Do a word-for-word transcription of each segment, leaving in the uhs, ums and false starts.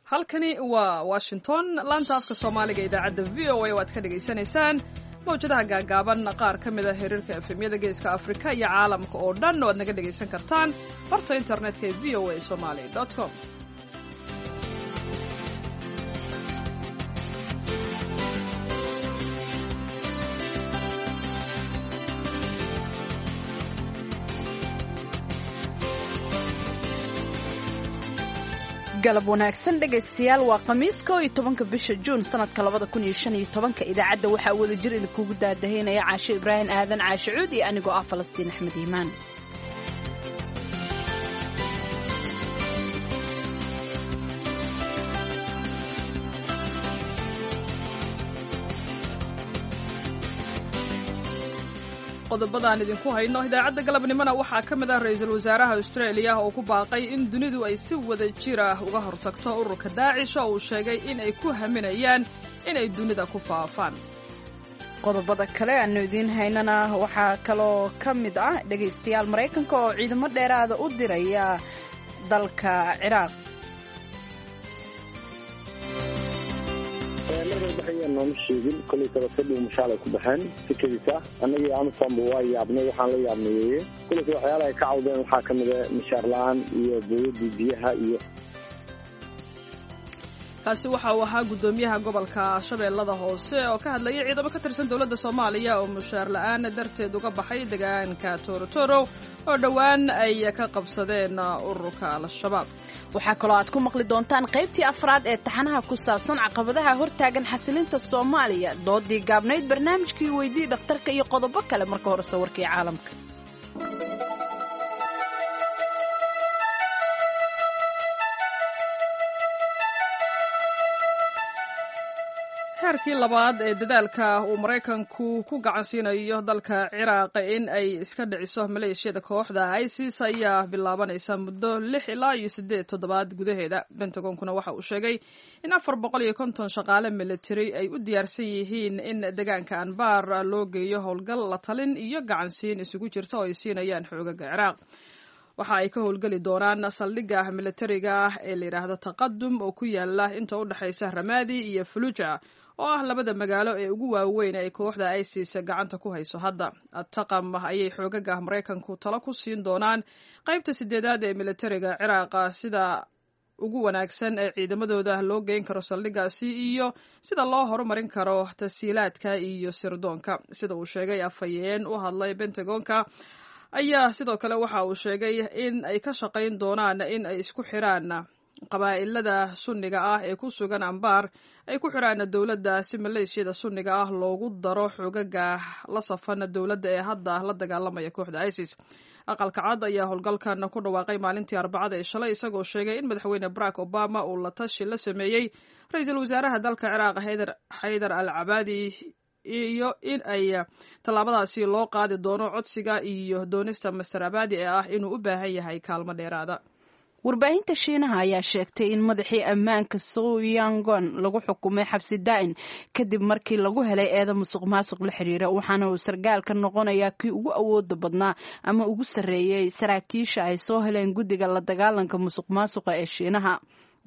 Halkani waa Washington, laanta afka Soomaaliga, idaacadda V O A oo aad ka dhagaysanaysaan mawjadaha gaagaaban, qaar ka mid a xiriirka F M-yada Geeska Afrika iyo caalamka oo dhan oo aad naga dhagaysan kartaan barta internetka ee V O A Somali com. Galab wanaagsan, dhegaystayaal. Waa Khamiis, koo iyo tobanka bisha Juun, sanadka labada kun iyo shan iyo tobanka. Idaacadda waxaa wada jir idinkugu daadahaynaya Caashe Ibraahim Aadan, Caashe Cuud, iyo anigoo ah Falastiin Axmed Iimaan. Qodobadaan idinku hayno idaacadda galabnimona waxaa ka mid ah ra-iisul wasaaraha Austraeliya oo ku baaqay in dunidu ay si wada jir ah uga hortagto ururka Daacish, oo uu sheegay in ay ku haminayaan inay dunida ku faafaan. Qodobada kale aanu idiin haynana waxaa kaloo ka mid ah, dhegaystayaal, Maraykanka oo ciidamo dheeraada u diraya dalka Ciraaq. Markay baxayeen nooma sheegin. Kolay sabadkadhiw mushaalay ku baxeen si kedis ah. Annagii Amisomba waa yaabnay. Waxaan la yaabnayeeye kulayse waxyaalaha ay ka cawdeen waxaa ka mid a mishaar la-aan iyo booyadii biyaha iyo Kaasi waxa uu ahaa guddoomiyaha gobolka Shabeellada Hoose oo ka hadlayay ciidamo ka tirsan dowladda Soomaaliya oo mushaar la-aan darteed uga baxay deegaanka Toorotorow oo dhowaan ay ka qabsadeen ururka Al-Shabaab. Waxaa kaloo aad ku maqli doontaan qaybtii afraad ee taxanaha ku saabsan caqabadaha hortaagan xasilinta Soomaaliya, doodii gaabnayd, barnaamijkii Weydii Dhakhtarka iyo qodobo kale. Marka hore sawirkii caalamka. Heerkii labaad ee dadaalka uu Maraykanku ku gacan siinayo dalka Ciraaq in ay iska dhiciso maleeshiyada kooxda ISIS ayaa bilaabanaysa muddo lix ilaa iyo siddeed toddobaad gudaheeda. Bentagonkuna waxa uu sheegay in afar boqol iyo konton shaqaale military ay u diyaarsan yihiin in deegaanka Anbar loo geeyo howlgal la talin iyo gacansiin isugu jirta oo ay siinayaan xoogaga Ciraaq. Waxa ay ka howlgeli doonaan saldhigga militariga ah ee la yidhaahdo Taqadum oo ku yaala inta u dhexaysa Ramaadi iyo Fuluja, oo ah labada magaalo ee ugu waaweyn ay kooxda ISIS gacanta ku hayso hadda. Taqam ayay xoogaga Maraykanku talo ku siin doonaan qaybta sideedaad ee militariga Ciraaqa sida ugu wanaagsan ee ciidamadooda loo geyn karo saldhiggaasi iyo sida loo horumarin karo tasiilaadka iyo sirdoonka, sida uu sheegay afhayeen u hadlay Bentagonka. Ayaa sidoo kale waxa uu sheegay in ay ka shaqayn doonaan in ay isku xiraan qabaa'ilada Sunniga ah ee ku sugan Ambaar, ay ku xiraan dowladda, si maleeshiyada Sunniga ah loogu daro xoogaga la safan dowladda ee hadda la dagaalamaya kooxda ISIS. Aqalka Cad ayaa howlgalkan ku dhawaaqay maalintii Arbacada ee shalay, isagoo sheegay in Madaxweyne Barack Obama uu la tashi la sameeyey ra-iisul wasaaraha dalka Ciraaq Xaydar al Cabaadi iyo in ay tallaabadaasi loo qaadi doono codsiga iyo doonista Master Abadi ee ah inuu u baahan yahay kaalmo dheeraada. Warbaahinta Shiinaha ayaa sheegtay in madaxii ammaanka Soyangon lagu xukumay xabsi daa'in kadib markii lagu helay eeda musuq maasuq la xiriira, waxaana uu sargaalka noqonayaa kii ugu awooda badnaa ama ugu sarreeyey saraakiisha ay soo heleen guddiga la dagaalanka musuq maasuqa ee Shiinaha.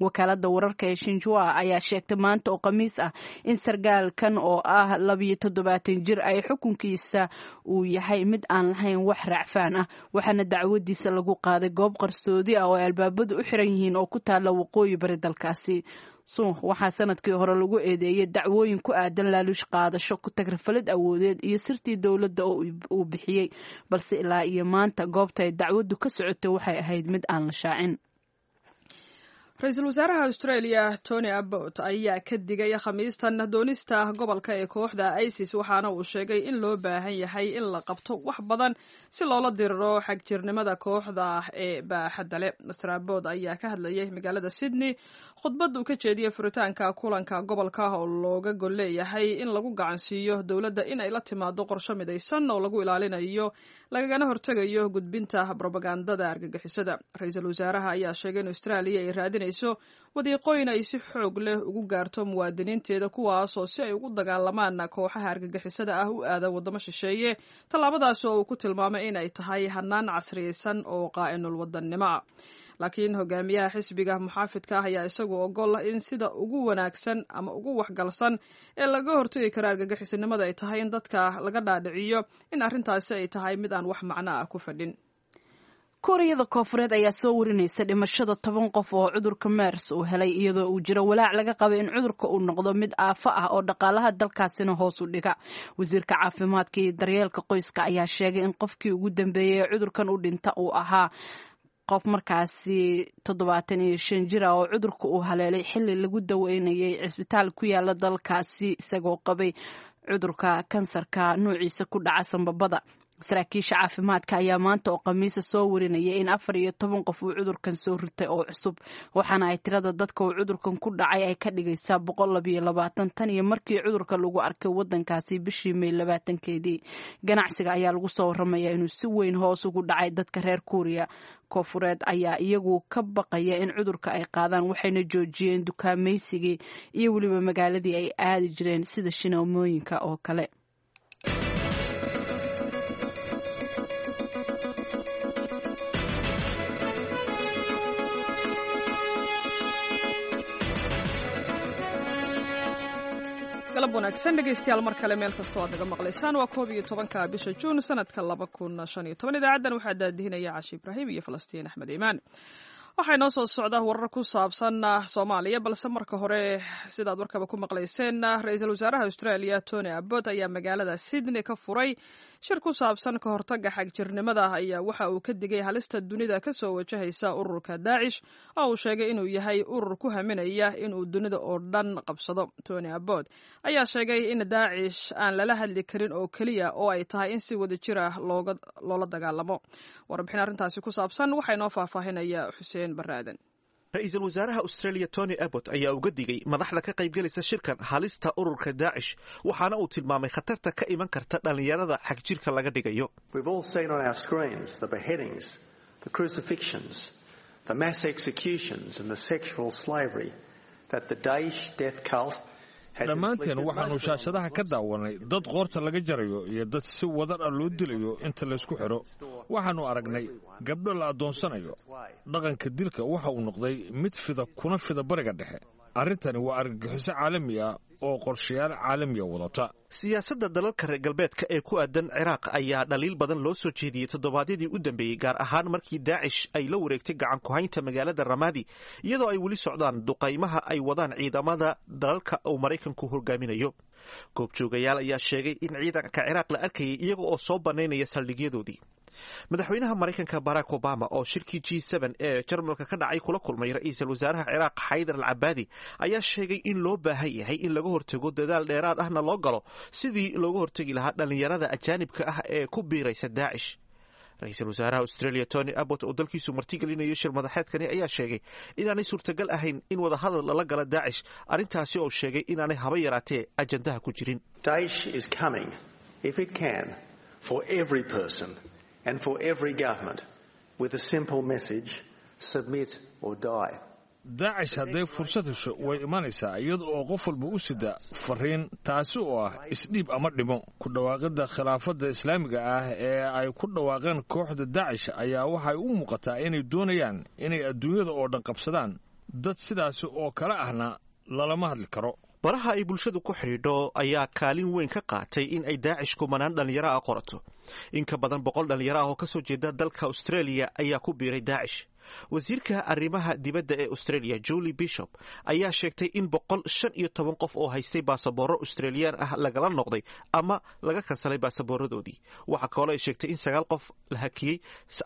Wakaalada wararka ee Shinjua ayaa sheegtay maanta oo Khamiis ah in sargaalkan oo ah labiyo toddobaatan jir ay xukunkiisa uu yahay mid aan lahayn wax raacfaan ah, waxaana dacwadiisa lagu qaaday goob qarsoodi ah oo ay albaabadu u xiran yihiin oo ku taala waqooyi bari dalkaasi. Suuq waxaa sanadkii hore lagu eedeeyay dacwooyin ku aadan laaluush qaadasho, ku tagrafalid awoodeed iyo sirtii dowladda oo uu bixiyey, balse ilaa iyo maanta goobta ay dacwaddu ka socotay waxay ahayd mid aan la shaacin. Ra-iisul wasaaraha Australia Tony Abbott ayaa ka digay Khamiistan doonista gobolka ee kooxda ISIS, waxaana uu sheegay in loo baahan yahay in la qabto wax badan si loola diriro xagjirnimada kooxda ee baaxadda leh. Master Abbott ayaa ka hadlayay magaalada Sydney khudbad uu ka jeediyey furitaanka kulanka gobolka oo looga gol leeyahay in lagu gacansiiyo dowladda in ay la timaado qorsho midaysan oo lagu ilaalinayo lagagana hortegayo gudbinta brobagandada argagixisada. Ra-iisul wasaaraha ayaa sheegay in Australia ay raadinayso raadinayso wadiiqooyin ay si xoog leh ugu gaarto muwaadiniinteeda, kuwaasoo si ay ugu dagaalamaan kooxaha argagixisada ah u aada waddamo shisheeye, tallaabadaas oo uu ku tilmaamay in ay tahay hanaan casriyeysan oo qaa'inul wadannimo ah. Laakiin hogaamiyaha xisbiga muxaafidka ah ayaa isagu ogol in sida ugu wanaagsan ama ugu waxgalsan ee laga hortagi karo argagixisanimada ay tahay in dadka laga dhaadhiciyo in arrintaasi ay tahay mid aan wax macno ah ku fadhin. Kuuriyada Koonfureed ayaa soo warinaysa dhimashada toban qof oo cudurka mers uu helay, iyadoo uu jiro walaac laga qaba in cudurka uu noqdo mid aafo ah oo dhaqaalaha dalkaasina hoos u dhiga. Wasiirka caafimaadka iyo daryeelka qoyska ayaa sheegay in qofkii ugu dambeeyey ee cudurkan u dhinta uu ahaa qof markaasi toddobaatan iyo shan jir ah oo cudurka uu haleelay xilli lagu daweynayay cisbitaal ku yaala dalkaasi, isagoo qabay cudurka kansarka nuuciisa ku dhaca sambabada. Saraakiisha caafimaadka ayaa maanta oo Khamiisa soo warinaya in afar iyo toban qof uu cudurkan soo ritay oo cusub, waxaana ay tirada dadka uu cudurkan ku dhacay ay ka dhigaysaa boqol labiyo labaatan tan iyo markii cudurka lagu arkay wadankaasi bishii May labaatankeedii. Ganacsiga ayaa lagu soo waramaya inuu si weyn hoos ugu dhacay. Dadka reer Kuuriya Koonfureed ayaa iyagu ka baqaya in cudurka ay qaadaan, waxayna joojiyeen dukaamaysigii iyo weliba magaaladii ay aadi jireen sida shinoomooyinka oo kale. Galab wanaagsan dhegeystayaal, mar kale meel kastoo aad naga maqlaysaan. Waa koob iyo tobanka bisha Juun sanadka laba kun shan iyo toban. Idaacaddan waxaa daadihinaya Cashi Ibraahim iyo Falastiin Axmed Iimaan. Waxaa inoo soo socda warar ku saabsan Soomaaliya, balse marka hore, sidaad warkaba ku maqlayseen, ra-iisul wasaaraha Australia Tony Abbott ayaa magaalada Sydney ka furay shir ku saabsan ka hortagga xagjirnimada. Ayaa waxa uu ka digay halista dunida kasoo wajahaysa ururka Daacish, oo uu sheegay inuu yahay urur ku haminaya inuu dunida oo dhan qabsado. Tony Abbott ayaa sheegay in Daacish aan lala hadli karin oo keliya, oo ay tahay in si wadajir ah loola dagaalamo. Warbixin arrintaasi ku saabsan waxaa inoo faahfaahinaya Xuseen. Ra-iisul wasaaraha Australia Tony Abbott ayaa uga digay madaxda ka qaybgelaysa shirkan halista ururka Daacish, waxaana uu tilmaamay khatarta ka iman karta dhallinyarada xagjirka laga dhigayo. Dhammaanteen waxaannu shaashadaha ka daawanay dad qoorta laga jarayo iyo dad si wadar ah loo dilayo inta laysku xidho. Waxaannu aragnay gabdho la addoonsanayo. Dhaqanka dilka waxa uu noqday mid fida kuna fida Bariga Dhexe. Arrintani waa argagixiso caalami ah oo qorshayaal caalamiya wadata. Siyaasadda dalalka reer galbeedka ee ku aadan Ciraaq ayaa dhaliil badan loo soo jeediyey toddobaadyadii u dambeeyey, gaar ahaan markii Daacish ay la wareegtay gacan ku-haynta magaalada Ramadi, iyadoo ay weli socdaan duqaymaha ay wadaan ciidamada dalalka uu Maraykanku hogaaminayo. Goobjoogayaal ayaa sheegay in ciidanka Ciraaq la arkayay iyaga oo soo bannaynaya saldhigyadoodii. Madaxweynaha Maraykanka Barack Obama oo shirkii G ee Jarmalka ka dhacay kula kulmay ra-iisul wasaaraha Ciraaq Xaydar al Cabaadi ayaa sheegay in loo baahan yahay in laga hortago, dadaal dheeraad ahna loo galo sidii looga hortegi lahaa dhallinyarada ajaanibka ah ee ku biiraysa Daacish. Ra-iisul wasaaraha Australia Tony Abbott oo dalkiisu martigelinayo shir madaxeedkani ayaa sheegay inaanay suurtagal ahayn in wadahadal lala gala Daacish, arrintaasi oo sheegay inaanay haba yaraatee ajandaha ku jirin. And for every government with a simple message: submit or die. Daacish hadday fursad hesho way imanaysaa iyada oo qof walba u sida fariin, taasi oo ah isdhiib ama dhimo. Ku dhawaaqidda khilaafadda islaamiga ah ee ay ku dhawaaqeen kooxda Daacish ayaa waxay u muuqataa inay doonayaan inay adduunyada oo dhan qabsadaan. Dad sidaasi oo kale ahna lalama hadli karo. Baraha ay bulshadu ku xidhiidho ayaa kaalin weyn ka qaatay in ay Daacish kumanaan dhallinyaro ah qorato. In ka badan boqol dhallinyaro ah oo ka soo jeeda dalka Australia ayaa ku biiray Daacish. Wasiirka arrimaha dibadda ee Australia Julie Bishop ayaa sheegtay in boqol shan iyo toban qof oo haystay baasaboorro Australiyaan ah lagala noqday ama laga kansalay baasaboorradoodii. Waxaa kaloo ay sheegtay in sagaal qof la hakiyey,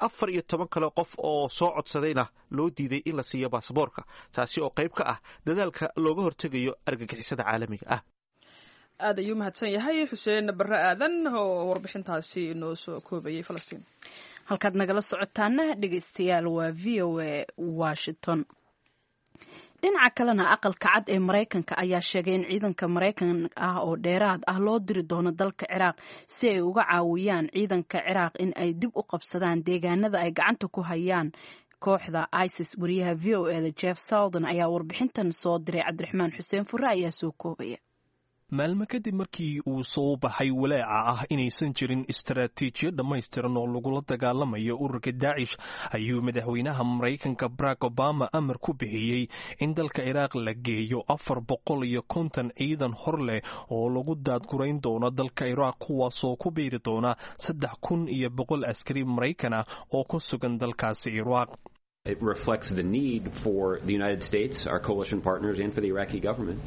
afar iyo toban kale qof oo soo codsadayna loo diiday in la siiyo baasaboorka, taasi oo qayb ka ah dadaalka looga hortegayo argagixisada caalamiga ah. Aad ayuu mahadsan yahay Xuseen Barre Aadan oo warbixintaasi inoo soo koobayay. Falastiin. Halkaad nagala socotaana dhegeystayaal waa V O A Washington. Dhinaca kalena, Aqalka Cad ee Maraykanka ayaa sheegay in ciidanka Maraykan ah oo dheeraad ah loo diri doono dalka Ciraaq si ay uga caawiyaan ciidanka Ciraaq in ay dib u qabsadaan deegaanada ay gacanta ku hayaan Kooxda ISIS. Wariyaha V O E da Jeff Seldin ayaa warbixintan soo diray. Cabdiraxmaan Xuseen Fure ayaa soo koobaya. Maalmo kadib markii uu soo baxay walaaca ah inaysan jirin istaraatiijiyo dhammaystiran oo lagula dagaalamayo ururka Daacish, ayuu madaxweynaha Maraykanka Barack Obama amar ku bixiyey in dalka Ciraaq la geeyo afar boqol iyo konton ciidan hor leh oo lagu daadgurayn doono dalka Ciraaq, kuwaasoo ku biiri doona saddex kun iyo boqol askari Maraykan ah oo ku sugan dalkaasi Ciraaq. It reflects the need for the United States, our coalition partners, and for the Iraqi government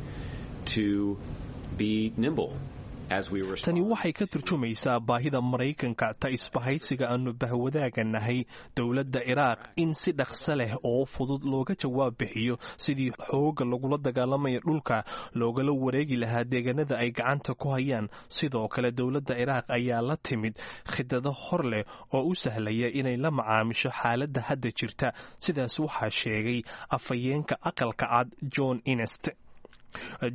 to be nimble. Tani waxay ka turjumaysaa baahida Maraykanka, ta isbahaysiga aanu bahwadaaga nahay, dowladda Ciraaq, in si dhaqso leh oo fudud looga jawaab bixiyo sidii xoogga lagula dagaalamaya dhulka loogala wareegi lahaa deegaanada ay gacanta ku hayaan. Sidoo kale, dowladda Ciraaq ayaa la timid khidado hor leh oo u sahlaya inay la macaamisho xaaladda hadda jirta. Sidaas waxaa sheegay afhayeenka Aqalka Cad, John Inest.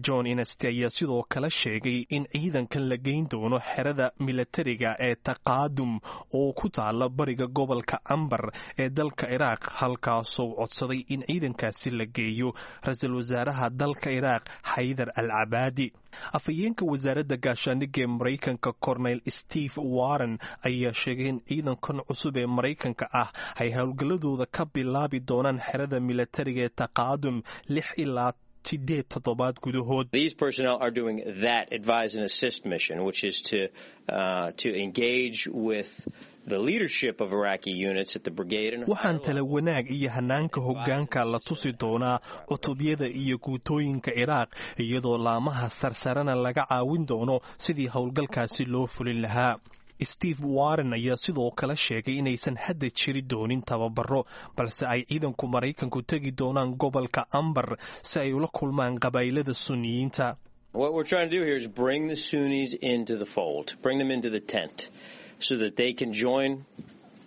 John Inest ayaa sidoo kale sheegay in ciidankan la geyn doono xerada milatariga ee Taqaadum oo ku taala bariga gobolka Ambar ee dalka Ciraaq, halkaasoo codsaday in ciidankaasi la geeyo ra-iisul wasaaraha dalka Ciraaq, Xaydar al Cabaadi. Afhayeenka wasaaradda gaashaandhigga ee Maraykanka, Cornel Steve Warren, ayaa sheegay in ciidankan cusub ee Maraykanka ah ay howlgalladooda ka bilaabi doonaan xerada milatariga ee Taqaadum lix ilaa sideed toddobaad gudahood. These personnel are doing that advise and assist mission, which is to uh, to engage with the leadership of Iraqi units at the brigade and Waxaan tala wanaag iyo hanaanka hoggaanka la tusi doonaa cutubyada iyo guutooyinka Ciraaq, iyadoo laamaha sarsarena laga caawin doono sidii howlgalkaasi loo fulin lahaa. Steve Warren ayaa sidoo kale sheegay inaysan hadda jiri doonin tababaro, balse ay ciidanku Maraykanku tegi doonaan gobolka Ambar si ay ula kulmaan qabaa'ilada Sunniyiinta. What we're trying to do here is bring the Sunnis into the fold, bring them into the tent, so that they can join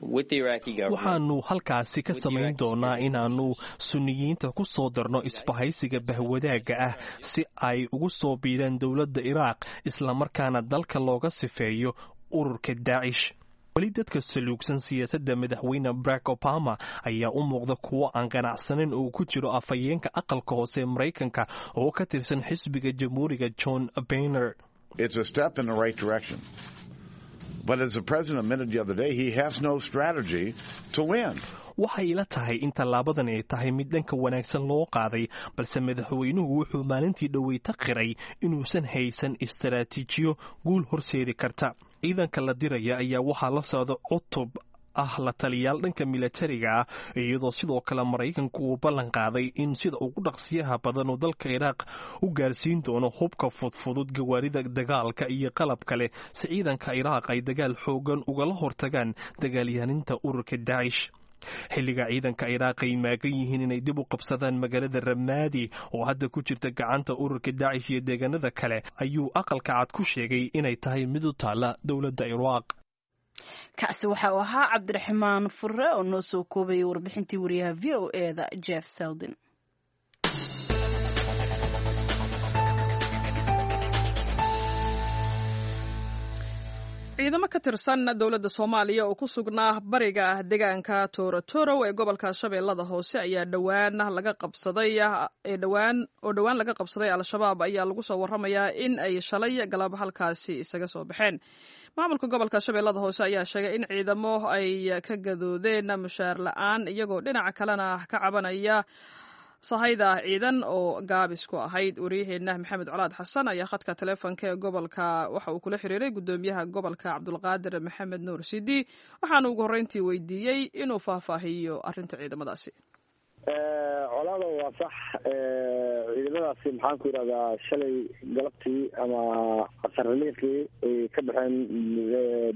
with the Iraqi government. Waxaanu halkaasi ka samayn doonaa inaannu Sunniyiinta ku soo darno isbahaysiga bahwadaagga ah si ay ugu soo biiraan dowladda Iraaq, islamarkaana dalka looga sifeeyo ururka Daacish. Weli dadka saluugsan siyaasadda madaxweyne Barack Obama ayaa u muuqda kuwo aan qanacsanin uu ku jiro afhayeenka Aqalka Hoose ee Maraykanka oo ka tirsan xisbiga Jamhuuriga, John Boehner. It's a step in the right direction. But as the president admitted the other day, he has no strategy to win. Waxay ila tahay in tallaabadan ay tahay mid dhanka wanaagsan loo qaaday, balse madaxweynuhu wuxuu maalintii dhoweyta qiray inuusan haysan istaraatiijiyo guul horseedi karta. Ciidanka la diraya ayaa waxaa la socda cutub ah la taliyaal dhanka milatariga ah, iyadoo sidoo kale Maraykanku uu ballan qaaday in sida ugu dhaqsiyaha badan uu dalka Ciraaq u gaarsiin doono hubka fudfudud, gawaarida dagaalka iyo qalab kale, si ciidanka Ciraaq ay dagaal xoogan ugala hortagaan dagaalyahaninta ururka Daacish. Xilliga ciidanka Ciraaq ay maagan yihiin inay dib u qabsadaan magaalada Ramaadi oo hadda ku jirta gacanta ururka Daacish iyo deegaanada kale, ayuu Aqalka Cad ku sheegay inay tahay mid u taalla dowladda Ciraaq. Kaasi waxa uu ahaa Cabdiraxmaan Fure oo noo soo koobayay warbixintii wariyaha V O E da Jeff Seldin. Ciidamo ka tirsan dowladda Soomaaliya oo ku sugnaa bariga deegaanka Toorotorow ee gobolka Shabeellada Hoose ayaa dhowaan laga qabsaday ee dhowaan oo dhowaan laga qabsaday Al-Shabaab ayaa lagu soo warramayaa in ay shalay galab halkaasi isaga soo baxeen. Maamulka gobolka Shabeellada Hoose ayaa sheegay in ciidamo ay ka gadoodeen mushaar la'aan, iyagoo dhinaca kalena ka cabanaya sahayda ciidan oo gaabis ku ahayd. Wariyaheenna Maxamed Colaad Xasan ayaa khadka taleefonka ee gobolka waxa uu kula xiriiray gudoomiyaha gobolka, Cabdulqaadir Maxamed Nuur Sidi, waxaana ugu horreyntii weydiiyey inuu faahfaahiyo arrinta ciidamadaasi. Colaada, waa sax. Ciidamadaasi, maxaan ku yidhahdaa, shalay galabtii ama casarliiqii ay ka baxeen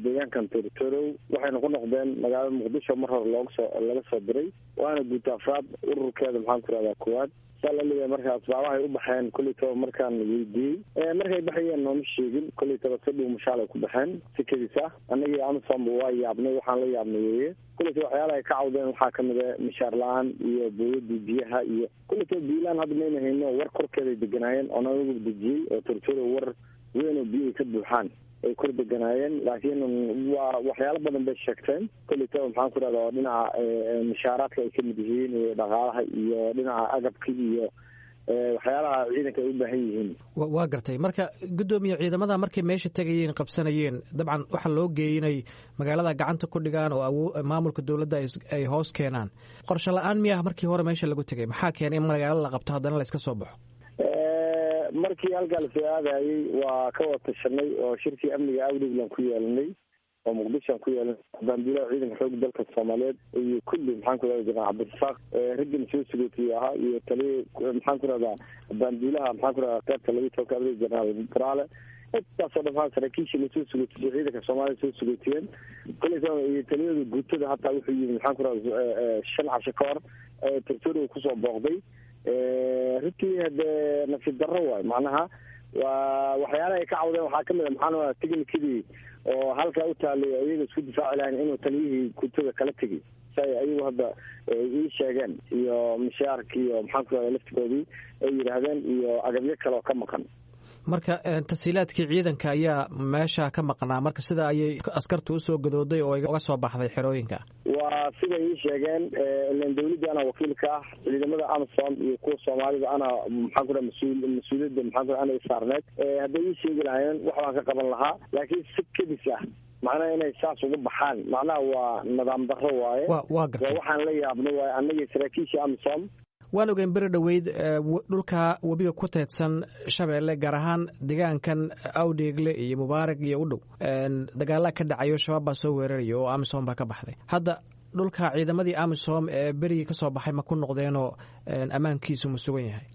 deegaankan Torotorow, waxayna ku noqdeen magaalada Muqdisho mar hore loogasoo laga soo diray, waana guuta afraad ururkeeda, maxaan ku yidhahdaa, koowaad. Saa la leeyahay. Marka asbaabahay u baxeen kuleytaba markaan weydiiyey markay baxayeen nooma sheegin. Kuleytaba si dhuumashaal ay ku baxeen, si kedis ah. Annagii AMISOMba waa yaabnay. Waxaan la yaabnay weeye kuleyta waxyaalaha ay ka cawdeen waxaa kamid a mishaar la-aan iyo booyadii biyaha iyo kuleytaba biilaan. Hadda mayna hayno war korkeeday deganaayeen oo naga dejiyey oo Tortoro war weyn oo biyahay ka buuxaan. ay kor deganaayeen, laakiin waa waxyaalo badan bay sheegteen kolleytaba maxaan ku rahda oo dhinaca mushaaraadka ay kamid yihiin iyo dhaqaalaha iyo dhinaca agabka iyo waxyaalaha ciidanka ay u baahan yihiin. Waa gartay. Marka guddoomiye, ciidamada markay meesha tegayeen qabsanayeen, dabcan waxaa loo geeyey inay magaalada gacanta ku dhigaan oo awo maamulka dowladda ay hoos keenaan. Qorshe la-aan miyaha markii hore meesha lagu tegay? Maxaa keenay in magaalo la qabto haddana la iska soo baxo? Markii halkaa lasoo aadayey waa ka wada tashanay oo shirkii amniga awdhiglan ku yeelanay oo muqdishoan ku yeelanay, baanduulaha ciidanka xooga dalka soomaaliyeed iyo kulli maxaan ku rahda jenaraal Cabdirasaaq raggina soo sugootiye ahaa iyo taliya maxaan ku rahdaa baanduulaha maxaan ku rahdaa qaybta labiyi tobanka abril jenaraal Buraale, intaasoo dhan maxaa saraakiishii lasoo sugootiyey ciidanka soomaaliya soo sugootiyeen kolleyta iyo taliyada guutada hataa wuxuu yimi maxaan ku rahda shan casho ka hor territoriga kusoo booqday. Runtii hadee nasiib darro waayo, macnaha waa waxyaalaha ay ka cawdeen waxaa kamid a maxaan tignikadii oo halkaa u taalay iyaga isku difaaci lahayn inuu taliyihii guutada kala tegay si ay ayagu hadda ii sheegeen, iyo mishaarkii iyo maxaan ku rahda laftigoodii ay yidhaahdeen iyo agabyo kale oo ka maqan. Marka tasiilaadkii ciidanka ayaa meesha ka maqnaa, marka sida ayay askartu usoo gadooday oo uga soo baxday xerooyinka. Waa siday ii sheegeen, ilan dawladda anaa wakiil ka ah, ciidamada amisom iyo kuwa soomaalida anaa maxaan ku raha mas-uul mas-uuliyadda maxaan ku raha anay saarneed. Hadday ii sheegi lahaayeen wax baan ka qaban lahaa, laakiin si kedis ah macnaha inay saas uga baxaan macnaha waa nidaam darro waaye. Waa gartay. Waxaan la yaabno waaye annagii saraakiisha amisom. Waan ogeyn beri dhoweyd dhulka webiga ku teedsan Shabeelle, gaar ahaan deegaankan Awdheegle iyo Mubaarak iyo u dhow, dagaalaa ka dhacayo, shabaab baa soo weeraraya oo amisom baa ka baxday. Hadda dhulka ciidamadii amisom ee berigii kasoo baxay ma ku noqdeenoo ammaankiisu ma sugan yahay?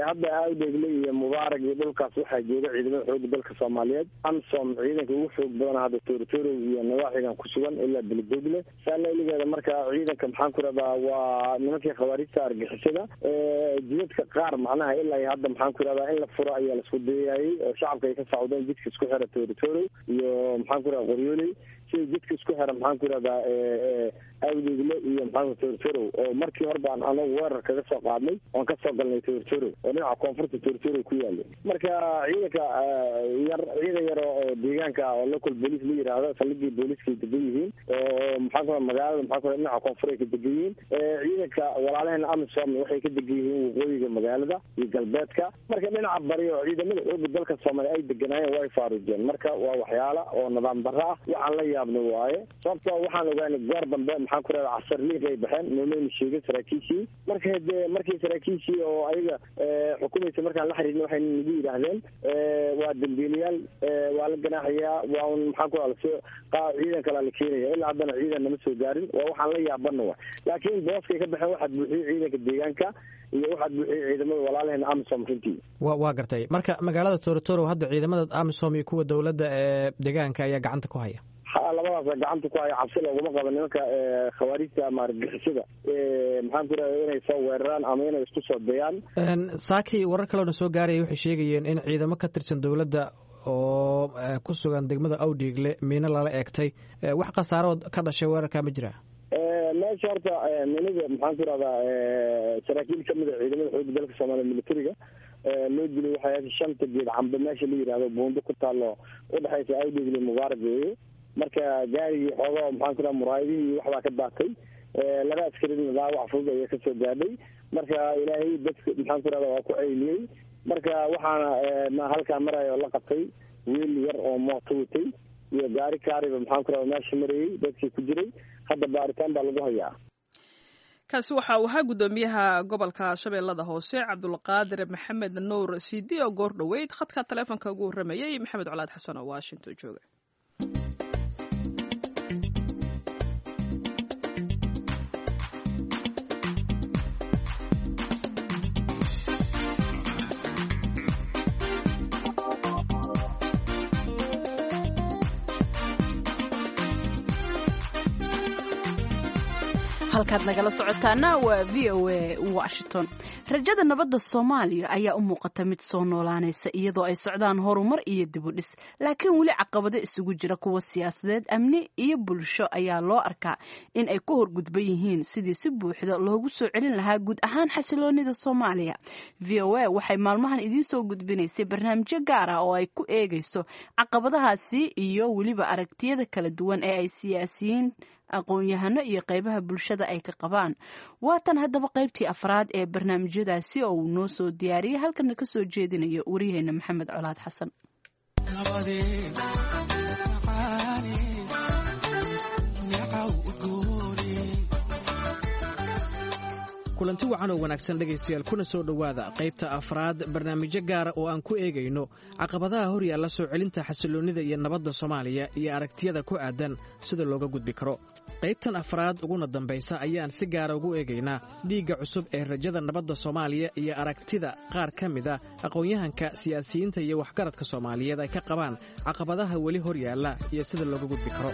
Hadda Awdheegle iyo Mubaarak iyo dhulkaas waxaa jooga ciidamada xooga dalka Soomaaliyeed. Amisom ciidanka ugu xoog badan hadda Toorotorow iyo nawaaxigan ku sugan ilaa Beledogle saala iligeeda. Marka ciidanka maxaan ku rahdaa waa nimankii khawaarijta argixisada jidadka qaar macnaha ilaa iyo hadda maxaan ku rahdaa in la furo ayaa laisku dayayay oo shacabka ay ka sacdeen jidka isku xira Toorotorow iyo maxaan ku rahdaa Qoryooley, sida jidka isku xira maxaan ku rahdaa Awdeegle iyo maxaan Toorotorow oo markii hore baan anagu weerar kaga soo qaadnay oon kasoo galnay Toorotorow oo dhinaca koonfurta Toorotorow ku yaalay. Marka ciidanka yar ciidan yar oo deegaanka oo local police la yidhaahdo saldhigii booliiska ay degan yihiin oo maxaan ku raha magaalada maxaan ku raha dhinaca koonfur ay ka degan yihiin. Ciidanka walaalaheena amisom waxay ka degan yihiin waqooyiga magaalada iyo galbeedka. Marka dhinaca bari oo ciidamada xooga dalka Soomaaliya ay deganaayeen way faaruujeen. Marka waa waxyaala oo nidaam darro ah, waxaan la yaabno waaye, sababtoo waxaan ogaanay goor dambe maxaan ku rahda casar liiq ay baxeen noomayna sheegin saraakiishii. Marka hadee markii saraakiishii oo ayaga xukumaysa markaan la xiriirna waxay nagu yidhaahdeen waa dambiilayaal, waa la ganaaxayaa, waa un maxaan ku rahda ciidan kalaa la keenaya. Ilaa haddana ciidan nama soo gaarin, waa waxaan la yaabana wa laakiin booskay ka baxeen waxaad buuxiyey ciidanka deegaanka iyo waxaad buuxiyey ciidamada walaalaheena amisom runtii. Wa waa gartay. Marka magaalada Toorotorow hadda ciidamada amisom iyo kuwa dowladda ee deegaanka ayaa gacanta ku haya. Labadaasa gacanta ku haya, cabsi looguma qabo nimanka khawaarijta ama argixisada maxaan ku rahda inay soo weeraraan ama inay isku soo dayaan. Saaki warar kaleona soo gaaraya waxay sheegayeen in ciidamo ka tirsan dowladda oo ku sugan degmada Awdheegle miino lala eegtay, wax khasaarood ka dhashay weerarka ma jira? Meesha horta minida maxaan ku rahdaa saraakiil kamid a ciidamada xooga dalka Soomaaliya militariga loo dilay waxay shanta geed cambe meesha la yidhahdo buundo ku taalo udhexaysa Awdheegle Mubaarak weeye. Marka gaarigii xoogaa maxaan ku raha muraayadihii waxbaa ka daatay, laba askarina dhaawac fudud ayaa kasoo gaadhay. Marka ilaahay dadka maxaan ku rahda waa ku ceyliyey. Marka waxaana halkaa maraya oo la qabtay wiil yar oo mooto watay iyo gaari kaariba maxaan ku rahda meesha marayey dadkii ku jiray, hadda baaritaan baa lagu hayaa. Kaasi waxa uu ahaa guddoomiyaha gobolka Shabeellada Hoose Cabdulqaadir Maxamed Nuur Sidi oo goor dhoweyd khadka taleefonka ugu warramayey Maxamed Colaad Xasan oo Washington jooga. Halkaad nagala socotaana waa V O A Washington. Rajada nabadda Soomaaliya ayaa u muuqata mid soo noolaanaysa, iyadoo ay socdaan horumar iyo dibudhis, laakiin weli caqabado isugu jira kuwa siyaasadeed, amni iyo bulsho ayaa loo arkaa in ay ku horgudban yihiin sidii si buuxda loogu soo celin lahaa guud ahaan xasiloonida Soomaaliya. V O A waxay maalmahan idiin soo gudbinaysay barnaamijyo gaar ah oo ay ku eegayso caqabadahaasi iyo weliba aragtiyada kala duwan ee ay siyaasiyiin, aqoon-yahano iyo qeybaha bulshada ay ka qabaan. Waatan haddaba qaybtii afraad ee barnaamijyadaasi oo uu noo soo diyaariyey, halkana ka soo jeedinayo wariyaheena Maxamed Colaad Xasan. Kulanti wacan oo wanaagsan, dhegaystayaal, kuna soo dhowaada qaybta afraad barnaamijyo gaara oo aan ku eegayno caqabadaha hor yaalla soo celinta xasilloonnida iyo nabadda Soomaaliya iyo aragtiyada ku aadan sida looga gudbi karo. Qaybtan afraad uguna dambaysa ayaan si gaara ugu eegaynaa dhiigga cusub ee rajada nabadda Soomaaliya iyo aragtida qaar ka mid a aqoon-yahanka, siyaasiyiinta iyo waxgaradka Soomaaliyeed ay ka qabaan caqabadaha weli hor yaalla iyo sida looga gudbi karo.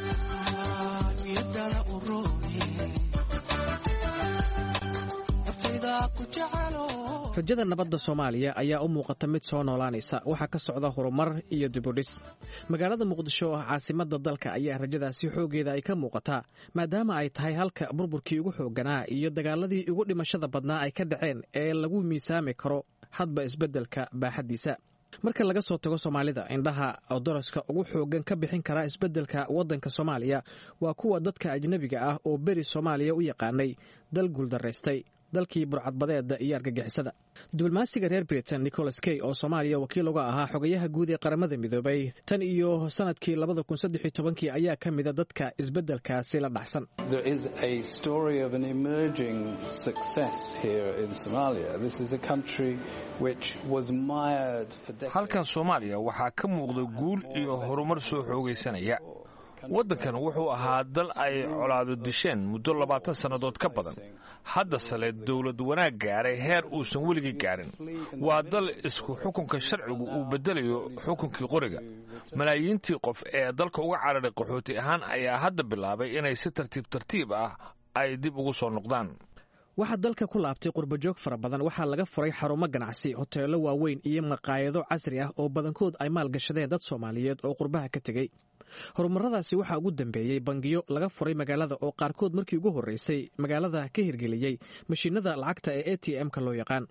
Rajada nabadda Soomaaliya ayaa u muuqata mid soo noolaanaysa. Waxaa ka socda horumar iyo dibudhis. Magaalada Muqdisho oo ah caasimadda dalka ayaa rajadaasi xooggeeda ay ka muuqataa, maadaama ay tahay halka burburkii ugu xoogganaa iyo dagaaladii ugu dhimashada badnaa ay ka dhaceen ee lagu miisaami karo hadba isbeddelka baaxaddiisa. Marka laga soo tago Soomaalida, indhaha doroska ugu xooggan ka bixin kara isbeddelka waddanka Soomaaliya waa kuwa dadka ajnebiga ah oo beri Soomaaliya u yaqaanay dal guuldaraystay, dalkii burcadbadeeda iyo argagixisada. Diblomaasiga reer Britain Nicholas Kay, oo Soomaaliya wakiil uga ahaa xogayaha guud ee Qaramada Midoobay tan iyo sanadkii labada kun saddex iyo tobankii, ayaa ka mida dadka isbeddelkaasi la dhacsan. There is a story of an emerging success here in Somalia. This is a country which was mired for decades. Halkan Soomaaliya waxaa ka muuqda guul iyo horumar soo xoogaysanaya. Waddankan wuxuu ahaa dal ay colaado disheen muddo labaatan sannadood ka badan. Haddase le dowlad wanaag gaaray heer uusan weligii gaarin. Waa dal isku xukunka sharcigu uu beddelayo xukunkii qoriga. Malaayiintii qof ee dalka uga cararay qaxooti ahaan ayaa hadda bilaabay inay si tartiib tartiib ah ay dib ugu soo noqdaan. Waxaa dalka ku laabtay qurbajoog fara badan. Waxaa laga furay xarumo ganacsi, hoteello waaweyn iyo maqaayado casri ah oo badankood ay maalgashadeen dad Soomaaliyeed oo qurbaha ka tegey. Horumaradaasi waxaa ugu dambeeyey bangiyo laga furay magaalada oo qaarkood markii ugu horreysay magaalada ka hirgeliyey mashiinada lacagta ee A T M-ka loo yaqaan.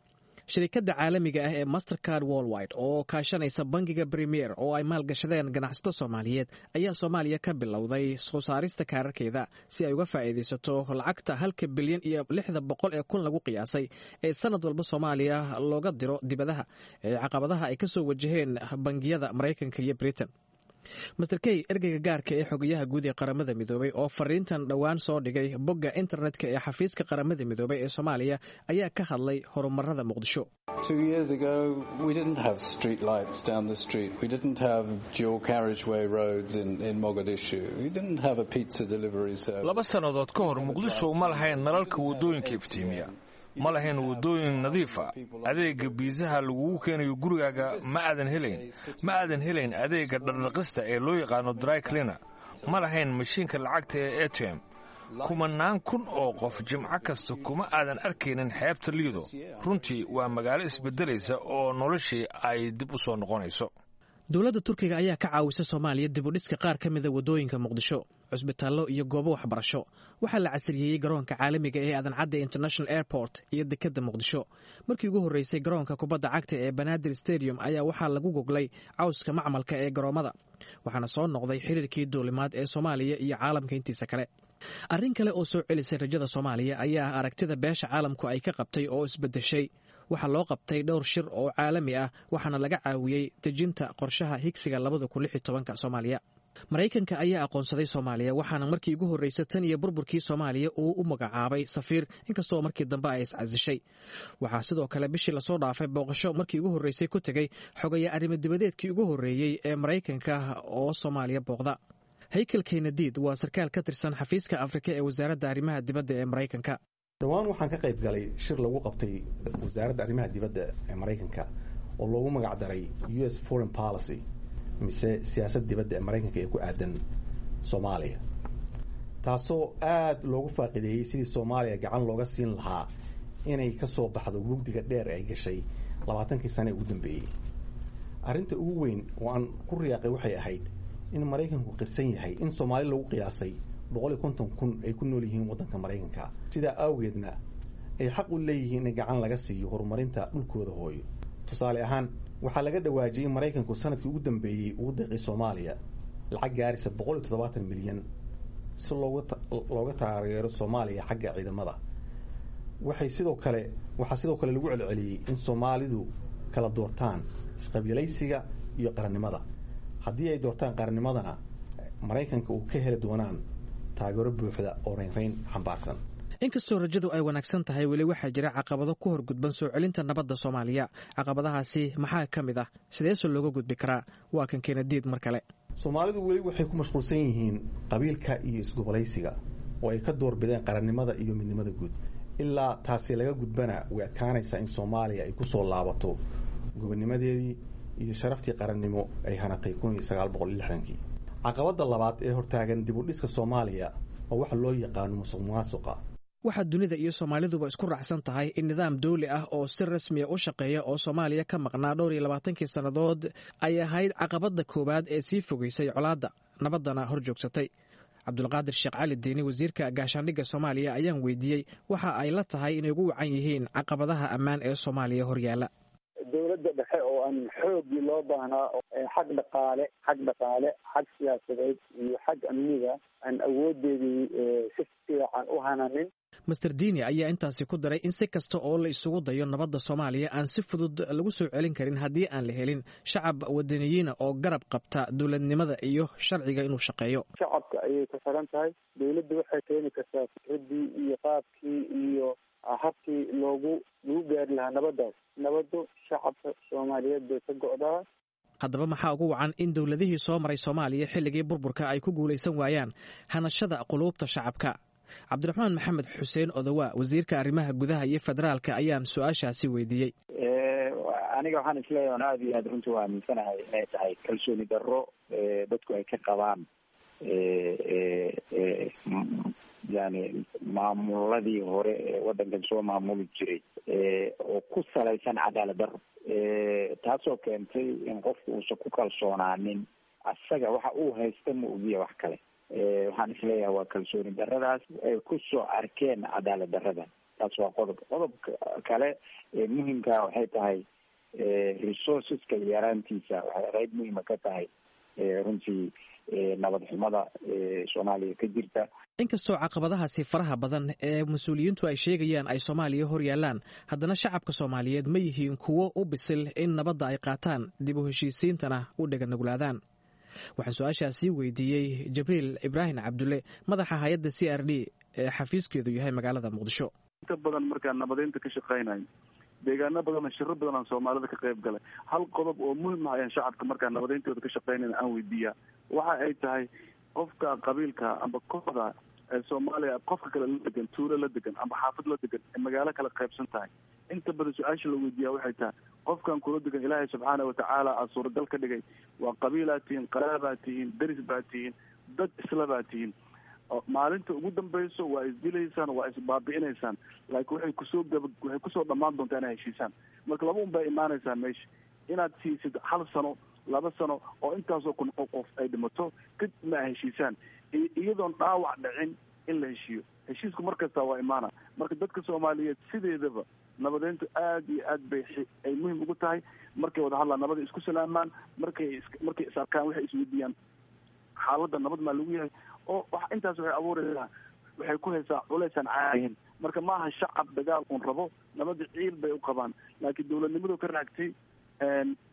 Shirikadda caalamiga ah ee Mastercard Worldwide oo kaashanaysa bangiga Premier oo ay maalgashadeen ganacsato Soomaaliyeed ayaa Soomaaliya ka bilowday soo saarista kaararkeeda si ay uga faa'iidaysato lacagta halka bilyan iyo lixda boqol ee kun lagu qiyaasay ee sanad walba Soomaaliya looga diro dibadaha ee caqabadaha ay kasoo wajaheen bangiyada Maraykanka iyo Britain. Mister Kay, ergeyga gaarka ee xogayaha guud ee Qaramada Midoobay, oo fariintan dhowaan soo dhigay bogga internetka ee xafiiska Qaramada Midoobay ee Soomaaliya, ayaa ka hadlay horumarada Muqdisho. Two years ago, we didn't have street lights down the street. We didn't have dual carriageway roads in, in Mogadishu. We didn't have a pizza delivery service. Laba sannadood ka hor, Muqdisho ma lahayn nalalka waddooyinka iftiimiya, ma lahayn waddooyin nadiif ah, adeega biisaha lagugu keenayo gurigaaga ma aadan helayn, ma aadan helayn adeega dhardhaqista ee loo yaqaano dry cleaner, ma lahayn mashiinka lacagta ee A T M. Kumanaan kun oo qof jimco kasta kuma aadan arkaynin xeebta Liido. Runtii waa magaalo isbeddelaysa oo noloshii ay dib u soo noqonayso. Dowladda Turkiga ayaa ka caawisa Soomaaliya dibudhiska qaar ka mida waddooyinka Muqdisho, cusbitaallo iyo goobo waxbarasho. Waxaa la casriyeeyey garoonka caalamiga ee Aadan Cadde International Airport iyo dekedda Muqdisho. Markii ugu horreysay, garoonka kubadda cagta ee Banaadir Stadium ayaa waxaa lagu goglay cawska macmalka ee garoommada, waxaana soo noqday xiriirkii duulimaad ee Soomaaliya iyo caalamka intiisa kale. Arrin kale oo soo celisay rajada Soomaaliya ayaa ah aragtida beesha caalamku ay ka qabtay oo isbeddeshay. Waxaa loo qabtay dhowr shir oo caalami ah, waxaana laga caawiyey dejinta qorshaha higsiga labada kun lix iyo tobanka Soomaaliya. Maraykanka ayaa aqoonsaday Soomaaliya, waxaana markii ugu horreysay tan iyo burburkii Soomaaliya uu u magacaabay safiir, inkastoo markii dambe ay iscasishay. Waxaa sidoo kale bishii lasoo dhaafay booqasho markii ugu horreysay ku tegey xogaya arrimo dibadeedkii ugu horreeyey ee Maraykanka oo Soomaaliya booqda. Haykel Kenadiid waa sarkaal ka tirsan xafiiska Afrika ee Wasaaradda Arrimaha Dibadda ee Maraykanka. Dhowaan waxaan ka qayb galay shir lagu qabtay Wasaaradda Arrimaha Dibadda ee Maraykanka oo loogu magac daray U S foreign policy, mise siyaasad dibadda ee Maraykanka ee ku aadan Soomaaliya, taasoo aada loogu faaqideeyey sidii Soomaaliya gacan looga siin lahaa inay ka soo baxdo mugdiga dheer ay gashay labaatankii sane ee ugu dambeeyey. Arrinta ugu weyn oo aan ku riyaaqay waxay ahayd in Maraykanku qirsan yahay in Soomaali lagu qiyaasay boqol iyo konton kun ay ku nool yihiin waddanka Maraykanka, sidaa awgeedna ay xaq u leeyihiin in gacan laga siiyo horumarinta dhulkooda hooyo. Tusaale ahaan, waxaa laga dhawaajiyey in Maraykanku sanadkii ugu dambeeyey ugu deeqay Soomaaliya lacag gaaraysa boqol iyo toddobaatan milyan si looga looga taageero Soomaaliya xagga ciidamada. Waxay sidoo kale waxaa sidoo kale lagu celceliyey in Soomaalidu kala doortaan isqabiilaysiga iyo qarannimada. Haddii ay doortaan qarannimadana, Maraykanka uu ka heli doonaan taageero buuxda oo reynreyn xambaarsan. Inkastoo rajadu ay wanaagsan tahay, weli waxaa jira caqabado ku horgudban soo celinta nabadda Soomaaliya. Caqabadahaasi maxaa ka mid ah? Sideese looga gudbi karaa? Waa kan Keenadiid mar kale. Soomaalidu weli waxay ku mashquulsan yihiin qabiilka iyo isgobolaysiga oo ay ka doorbideen qarannimada iyo midnimada guud. Ilaa taasi laga gudbana, way adkaanaysaa in Soomaaliya ay ku soo laabato gobonimadeedii iyo sharaftii qarannimo ay hanatay kun iyo sagaal boqol iyo lixdankii. Caqabadda labaad ee hortaagan dib u dhiska Soomaaliya waa waxa loo yaqaano musuq maasuqa. Waxaa dunida iyo Soomaaliduba isku raacsan tahay in nidaam dawli ah oo si rasmiya u shaqeeya oo Soomaaliya ka maqnaa dhowr iyo labaatankii sannadood ay ahayd caqabadda koowaad ee sii fogeysay colaadda, nabaddana hor joogsatay. Cabdulqaadir Sheekh Cali Diini, wasiirka gaashaandhigga Soomaaliya, ayaan weydiiyey waxa ay la tahay inay ugu wacan yihiin caqabadaha ammaan ee Soomaaliya horyaala. Dowladda dhexe oo aan xooggii loo baahnaa, xag dhaqaale, xag dhaqaale, xag siyaasadeed iyo xag amniga aan awoodeedii si fiican u hananin. Master Dini ayaa intaasi ku daray in si kasta oo la isugu dayo nabadda Soomaaliya aan si fudud lagu soo celin karin haddii aan la helin shacab wadaniyiina oo garab qabta dowladnimada iyo sharciga inuu shaqeeyo. Shacabka ayay ku xiran tahay. Dowladda waxay keeni kartaa fikraddii iyo qaabkii iyo habkii loogu lagu gaari lahaa nabaddaas. Nabaddu shacabka Soomaaliyeed bay ka go'daa. Haddaba, maxaa ugu wacan in dowladihii soo maray Soomaaliya xilligii burburka ay ku guulaysan waayaan hanashada quluubta shacabka? Cabdiraxmaan Maxamed Xuseen Odowa, wasiirka arrimaha gudaha iyo federaalka, ayaan su-aashaasi weydiiyey. Aniga waxaan isleeyahay oon aada iyo aada runtii u aaminsanahay inay tahay kalsooni darro dadku ay ka qabaan yani maamuladii hore ee waddankan soo maamuli jiray oo ku salaysan cadaalad darro, taasoo keentay in qofku uusan ku kalsoonaanin asaga waxa uu haysta ma ogiya wax kale. Waxaan isleeyahay waa kalsooni darradaas ay kusoo arkeen cadaalad darrada. Taas waa qodob. Qodobka kale ee muhimkaa waxay tahay resourceska yaraantiisa waxay qeyb muhima ka tahay runtii nabad xumada Soomaaliya ka jirta. Inkastoo caqabadahaasi faraha badan ee mas-uuliyiintu ay sheegayaan ay Soomaaliya hor yaallaan, haddana shacabka Soomaaliyeed ma yihiin kuwo u bisil in nabadda ay qaataan, dib u heshiisiintana u dheganuglaadaan? Waxaan su-aashaasi weydiiyey Jibriil Ibraahim Cabdulle, madaxa hay-adda C R D ee xafiiskeedu yahay magaalada Muqdisho. Inta badan markaan nabadeynta ka shaqeynayo deegaano badan, shiro badan aan Soomaalida ka qayb galay, hal qodob oo muhim ah ayaan shacabka markaan nabadeyntooda ka shaqeynayna aan weydiiyaa. Waxa ay tahay, qofka qabiilka amba kooxda ee Soomaaliya qofka kale la degan, tuulo la degan amba xaafad la degan, ee magaalo kala qaybsan tahay, inta badan su-aasha la weydiiyaa waxay tahay: qofkan kula degan, Ilaahay subxaana watacaala aa suuragal ka dhigay, waa qabiilaa tihiin, qaraabaa tihiin, deris baa tihiin, dad isla baa tihiin, maalinta ugu dambayso waa isdilaysaan, waa isbaabi'inaysaan, laakiin waxay kusoo gaba waxay kusoo dhammaan doontaa inay heshiisaan. Marka laba un baa imaanaysaa meesha: inaad siisid hal sano, laba sano oo intaasoo kun qof ay dhimato, kadibna ay heshiisaan iyadoon dhaawac dhicin in la heshiiyo. Heshiisku mar kasta waa imaana. Marka dadka Soomaaliyeed sideedaba nabadeyntu aad iyo aad bay ay muhim ugu tahay. Markay wada hadlaan, nabada isku salaamaan, markay markay is arkaan, waxay isweydiiyaan xaaladda nabad maa lagu yahay, oo intaas waxay abuuraysaa, waxay ku haysaa culaysaan caadihin. Marka maaha shacab dagaal un rabo, nabada ciil bay u qabaan, laakiin dowladnimadu ka raagtay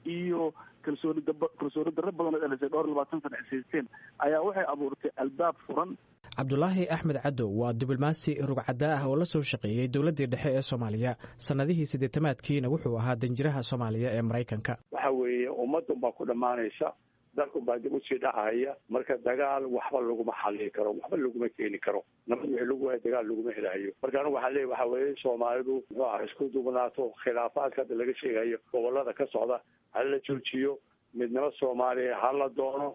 iyo kalsooni dab kalsooni darro badan oo dhalisay dhowr iyo labaatan sana is haysteen ayaa waxay abuurtay albaab furan. Cabdulaahi Axmed Cadow waa diblomaasi rugcaddaa ah oo la soo shaqeeyey dowladdii dhexe ee Soomaaliya. Sannadihii siddeetamaadkiina wuxuu ahaa danjiraha Soomaaliya ee Maraykanka. Waxa weeye, ummadun baa ku dhammaanaysa, dalku baa dib usii dhacaya. Marka dagaal waxba laguma xalili karo, waxba laguma keeni karo. Nabad wixii lagu waayo dagaal laguma helayo. Marka anigu waxaa leeya, waxa weeye, Soomaalidu muxuu aha isku duubnaato. Khilaafaadka hadda laga sheegayo gobolada ka socda ha la joojiyo. Midnimo Soomaaliya ha la doono.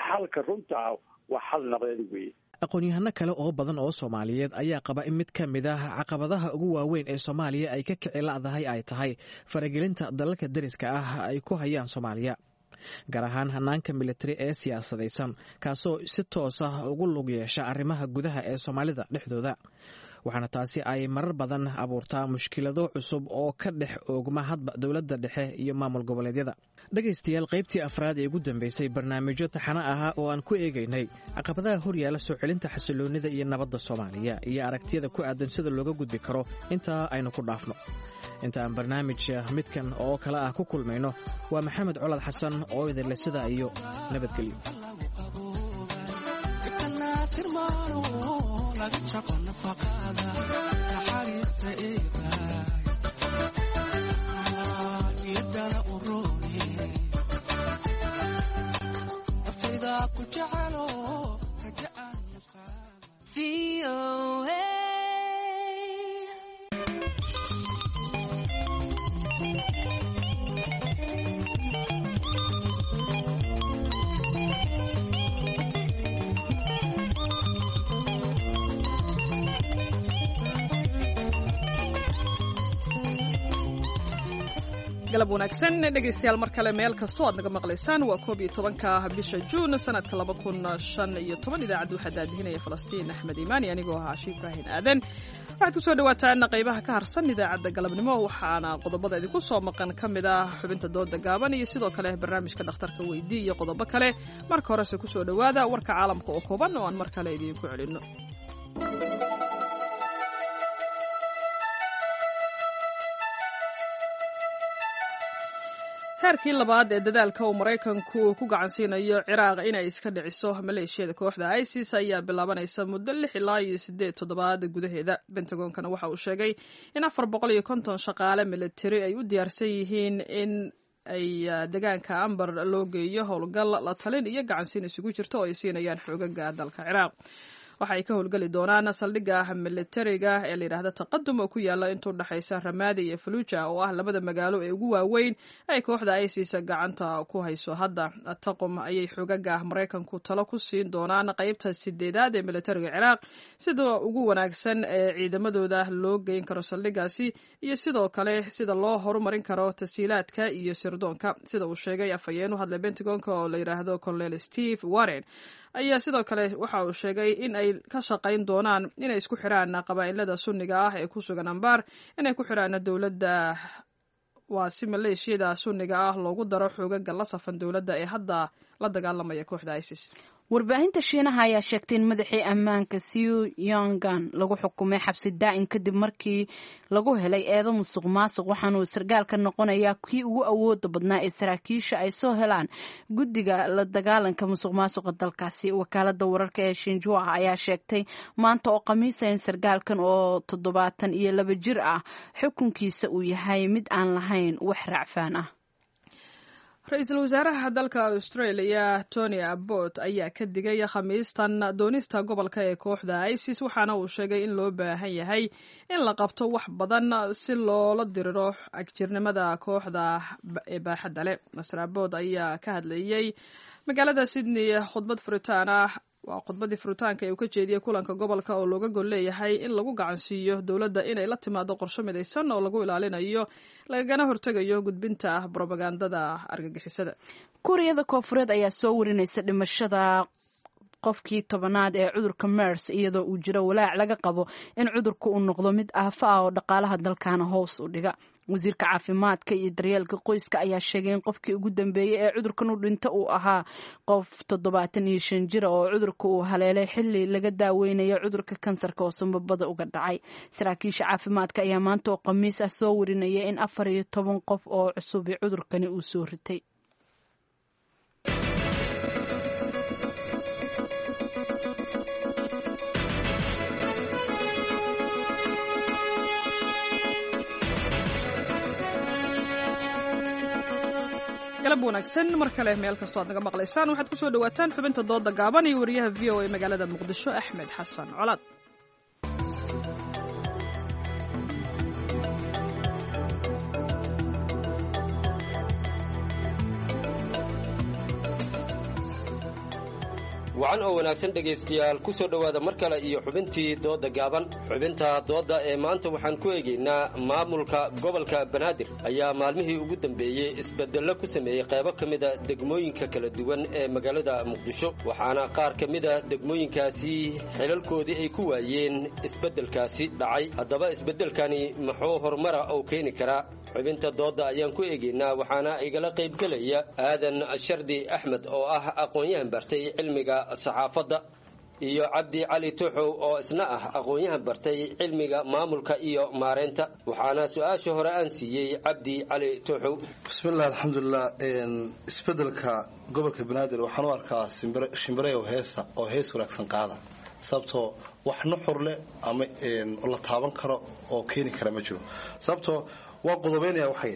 Xalka runta ah waa xal nabadeed weeye. Aqoon-yahano kale oo badan oo Soomaaliyeed ayaa qaba in mid ka mid ah caqabadaha ugu waaweyn ee Soomaaliya ay ka kici la'dahay ay tahay faragelinta dalalka deriska ah ay ku hayaan Soomaaliya, gaar ahaan hanaanka militari ee siyaasadaysan, kaasoo si toos ah ugu lug yeesha arrimaha gudaha ee Soomaalida dhexdooda. Waxaana taasi ay marar badan abuurtaa mushkilado cusub oo ka dhex oogma hadba dowladda dhexe iyo maamul goboleedyada. Dhegaystayaal, qaybtii afraad ee ugu dambeysay barnaamijyo taxano ahaa oo aan ku eegaynay caqabadaha horyaala soo celinta xasiloonnida iyo nabadda Soomaaliya iyo aragtiyada ku aadan sida looga gudbi karo, intaa aynu ku dhaafno. Inta aan barnaamij midkan oo kale ah ku kulmayno, waa Maxamed Colad Xasan oo idinleh sidaa iyo nabadgelyo. Galab wanaagsan dhegaystayaal, mar kale meel kastoo aad naga maqlaysaan. Waa koob iyo tobanka bisha Juun sanadka laba kun shan iyo toban. Idaacadda waxaa daadihinaya Falastiin Axmed Iimaani, anigoo ahaa Ashiif Ibraahin Aadan. Waxaad kusoo dhawaataan qaybaha ka harsan idaacadda galabnimo, waxaana qodobada idinku soo maqan ka mid ah xubinta dooda gaaban iyo sidoo kale barnaamijka dhakhtarka weydii iyo qodobo kale. Marka horese kusoo dhowaada warka caalamka oo kooban oo aan mar kale idiinku celinno. Heerkii labaad ee dadaalka uu Maraykanku ku gacansiinayo Ciraaq inay iska dhiciso maleeshiyada kooxda ISIS ayaa bilaabanaysa muddo lix ilaa iyo siddeed toddobaad gudaheeda. Bentagoonkana waxa uu sheegay in afar boqol iyo konton shaqaale militari ay u diyaarsan yihiin in ay deegaanka Ambar loo geeyo howlgal la talin iyo gacansiin isugu jirto oo ay siinayaan xoogaga dalka Ciraaq. Waxa ay ka howlgeli doonaan saldhigga militariga ee layidhaahda Taqadum oo ku yaala intuu dhexaysa Ramaadi iyo Faluuja, oo ah labada magaalo ee ugu waaweyn ay kooxda ISIS gacanta ku hayso hadda. Taqum ayay xoogaga Maraykanku talo ku siin doonaan qeybta sideedaad ee militariga Ciraaq sida ugu wanaagsan ee ciidamadooda loo geyn karo saldhiggaasi iyo sidoo kale sida loo horumarin karo tasiilaadka iyo sirdoonka, sida uu sheegay afhayeen u hadlay Pentagonka oo la yidhaahdo Colonel Steve Warren. Ayaa sidoo kale waxa uu sheegay in ay ka shaqayn doonaan inay isku xiraan qabaa'ilada Sunniga ah ee ku sugan Ambaar, inay ku xiraan dowladda, waa si maleeshiyada Sunniga ah loogu daro xoogaga la safan dowladda ee hadda la dagaalamaya kooxda ISIS. Warbaahinta Shiinaha ayaa sheegtay in madaxii ammaanka Siu Yongan lagu xukumay xabsi daa'in kadib markii lagu helay eedo musuq maasuq, waxaana uu sargaalka noqonayaa kii ugu awooda badnaa ee saraakiisha ay soo helaan guddiga la dagaalanka musuq maasuqa dalkaasi. Wakaalada wararka ee Shinjua ayaa sheegtay maanta oo khamiisa in sargaalkan oo toddobaatan iyo laba jir ah xukunkiisa uu yahay mid aan lahayn wax raacfaan ah. Ra-iisul wasaaraha dalka Australia Tony Abbott ayaa ka digay Khamiistan doonista gobolka ee kooxda ISIS, waxaana uu sheegay in loo baahan yahay in la qabto wax badan si loola diriro agjirnimada kooxda ee baaxadda leh. Master Abbott ayaa ka hadlayay magaalada Sydney khudbad furitaan ah, waa khudbadii furitaanka ee uu ka jeediyey kulanka gobolka oo looga gol leeyahay in lagu gacansiiyo dowladda inay la timaado qorsho midaysan oo lagu ilaalinayo lagagana hortegayo gudbinta brobagandada argagixisada. Kuuriyada Koonfureed ayaa soo warinaysa dhimashada qofkii tobanaad ee cudurka MERS, iyadoo uu jiro walaac laga qabo in cudurka uu noqdo mid aafa ah oo dhaqaalaha dalkaana hoos u dhiga. Wasiirka caafimaadka iyo daryeelka qoyska ayaa sheegay in qofkii ugu dambeeyey ee cudurkan u dhinto uu ahaa qof toddobaatan iyo shan jira oo cudurka uu haleelay xilli laga daaweynayo cudurka kansarka oo sanbabada uga dhacay. Saraakiisha caafimaadka ayaa maanta oo khamiis ah soo warinaya in afar iyo toban qof oo cusubi cudurkani uu soo ritay. Galab wanaagsan mar kale meel kastoo aad naga maqlaysaan. Waxaad kusoo dhawaataan xubinta dooda gaaban iyo wariyaha V O A magaalada Muqdisho Axmed Xasan Colaad. Wacan oo wanaagsan dhegaystayaal, ku soo dhowaada mar kale iyo xubintii dooda gaaban. Xubinta doodda ee maanta waxaan ku eegaynaa maamulka gobolka Banaadir ayaa maalmihii ugu dambeeyey isbedello ku sameeyey qaybo ka mida degmooyinka kala duwan ee magaalada Muqdisho, waxaana qaar ka mida degmooyinkaasi xilalkoodii ay ku waayeen isbeddelkaasi dhacay. Haddaba isbeddelkani muxuu horumara oo keeni karaa? Xubinta doodda ayaan ku eegaynaa, waxaana igala qaybgelaya Aadan Shardi Axmed oo ah aqoon-yahan bartay cilmiga saxaafadda, iyo Cabdi Cali Tuxow oo isna ah aqoon-yahan bartay cilmiga maamulka iyo maareynta. Waxaana su-aasha hore aan siiyey Cabdi Cali Tuxow. Bismillahi, alxamdulilah. Isbedelka gobolka Banaadir waxaan u arkaa shimbireyow heesa oo hees wanaagsan qaada, sababtoo wax nuxur leh ama la taaban karo oo keeni kara ma jiro. Sababtoo waa qodobeynaya waxay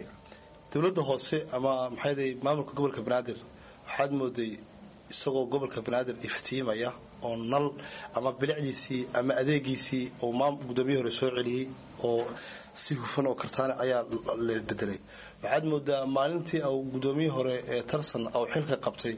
dowladda hoose ama maxay maamulka gobolka Banaadir waxaad mooday isagoo gobolka Banaadir iftiimaya oo nal ama bilicdiisii ama adeegiisii oo maam gudoomiyihii hore soo celiyey oo si hufan oo kartaana ayaa la bedelay. Waxaad moodaa maalintii uu gudoomiyihii hore ee Tarsan uu xilka qabtay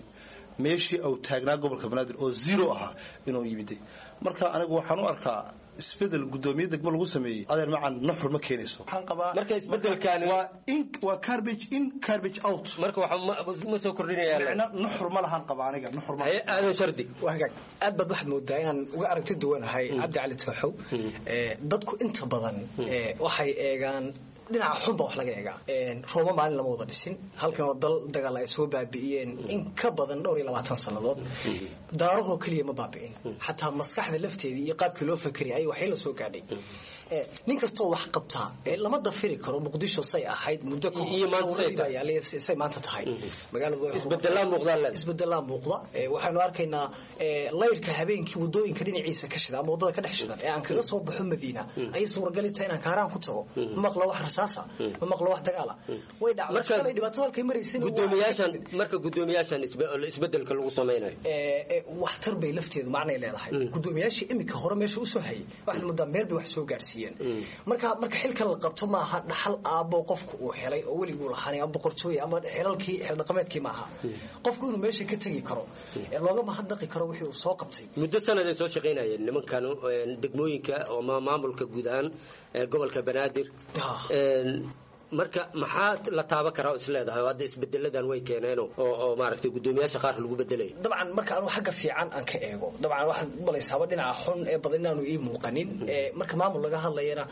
meeshii uu taagnaa gobolka Banaadir oo zero ahaa inuu yimiday. Marka anigu waxaan u arkaa isbedel gudoomiye degmo lagu sameeyey adeer macan nuxur ma keenayso. Waxaan qabaa marka isbedelkaani waa in waa garbage in garbage out. Marka waxa ma soo kordhinaya macna nuxur ma lahan qaba aniga nuxur ma. Aadan Shardi, wahagaag, aad baad waxaad moodaa inaan uga aragti duwanahay Cabdi Cali Tooxow. Dadku inta badan waxay eegaan dhinaca xun baa wax laga eegaa. Rooma maalin lama wada dhisin, halkan oo dal dagaal ay soo baabi'iyeen in ka badan dhowr iyo labaatan sannadood. Daarahoo keliya ma baabi'in, xataa maskaxda lafteedii iyo qaabkii loo fakeriyay ayay waxay la soo gaadhay. Nin kastoo wax qabtaa lama dafiri karo Muqdisho say ahayd muddo say maanta tahay. Magaaladisbedelaa muuqda. Waxaynu arkaynaa layrka habeenkii wadooyinka dhinaciisa ka shida ama waddada ka dhex shidan ee aan kaga soo baxo Madiina ayay suuragali tahay inaan kaaraan ku tago. Ma maqlo wax rasaasa, ma maqlo wax dagaala. Way dhacday shalay dhibaato halkay maraysay. Gudoomiyaashan marka gudoomiyaashan isbedelka lagu samaynayo waxtar bay lafteedu macnay leedahay. Gudoomiyaashii iminka hore meesha usoo hayay waxaad moodaa meel bay wax soo gaarsiiyeen. Marka marka xilkan la qabto maaha dhaxal aabbo qofku uu helay oo weliguu lahaanay ama boqortooy ama xilalkii xil dhaqameedkii maaha. Qofku inuu meesha ka tegi karo ee looga mahadnaqi karo wixii uu soo qabtay. Muddo sanad ay soo shaqaynayeen nimankan degmooyinka oo maamulka guud ahaan gobolka Banaadir. Marka maxaa la taaban karaa oo isleedahay oo hadda isbedeladan way keeneen oo oo maaragtay gudoomiyaasha qaar lagu bedelay? Dabcan marka anu xagga fiican aan ka eego, dabcan waxaad malaysaaba dhinaca xun ee badan inaanu ii muuqanin. Marka maamul laga hadlayana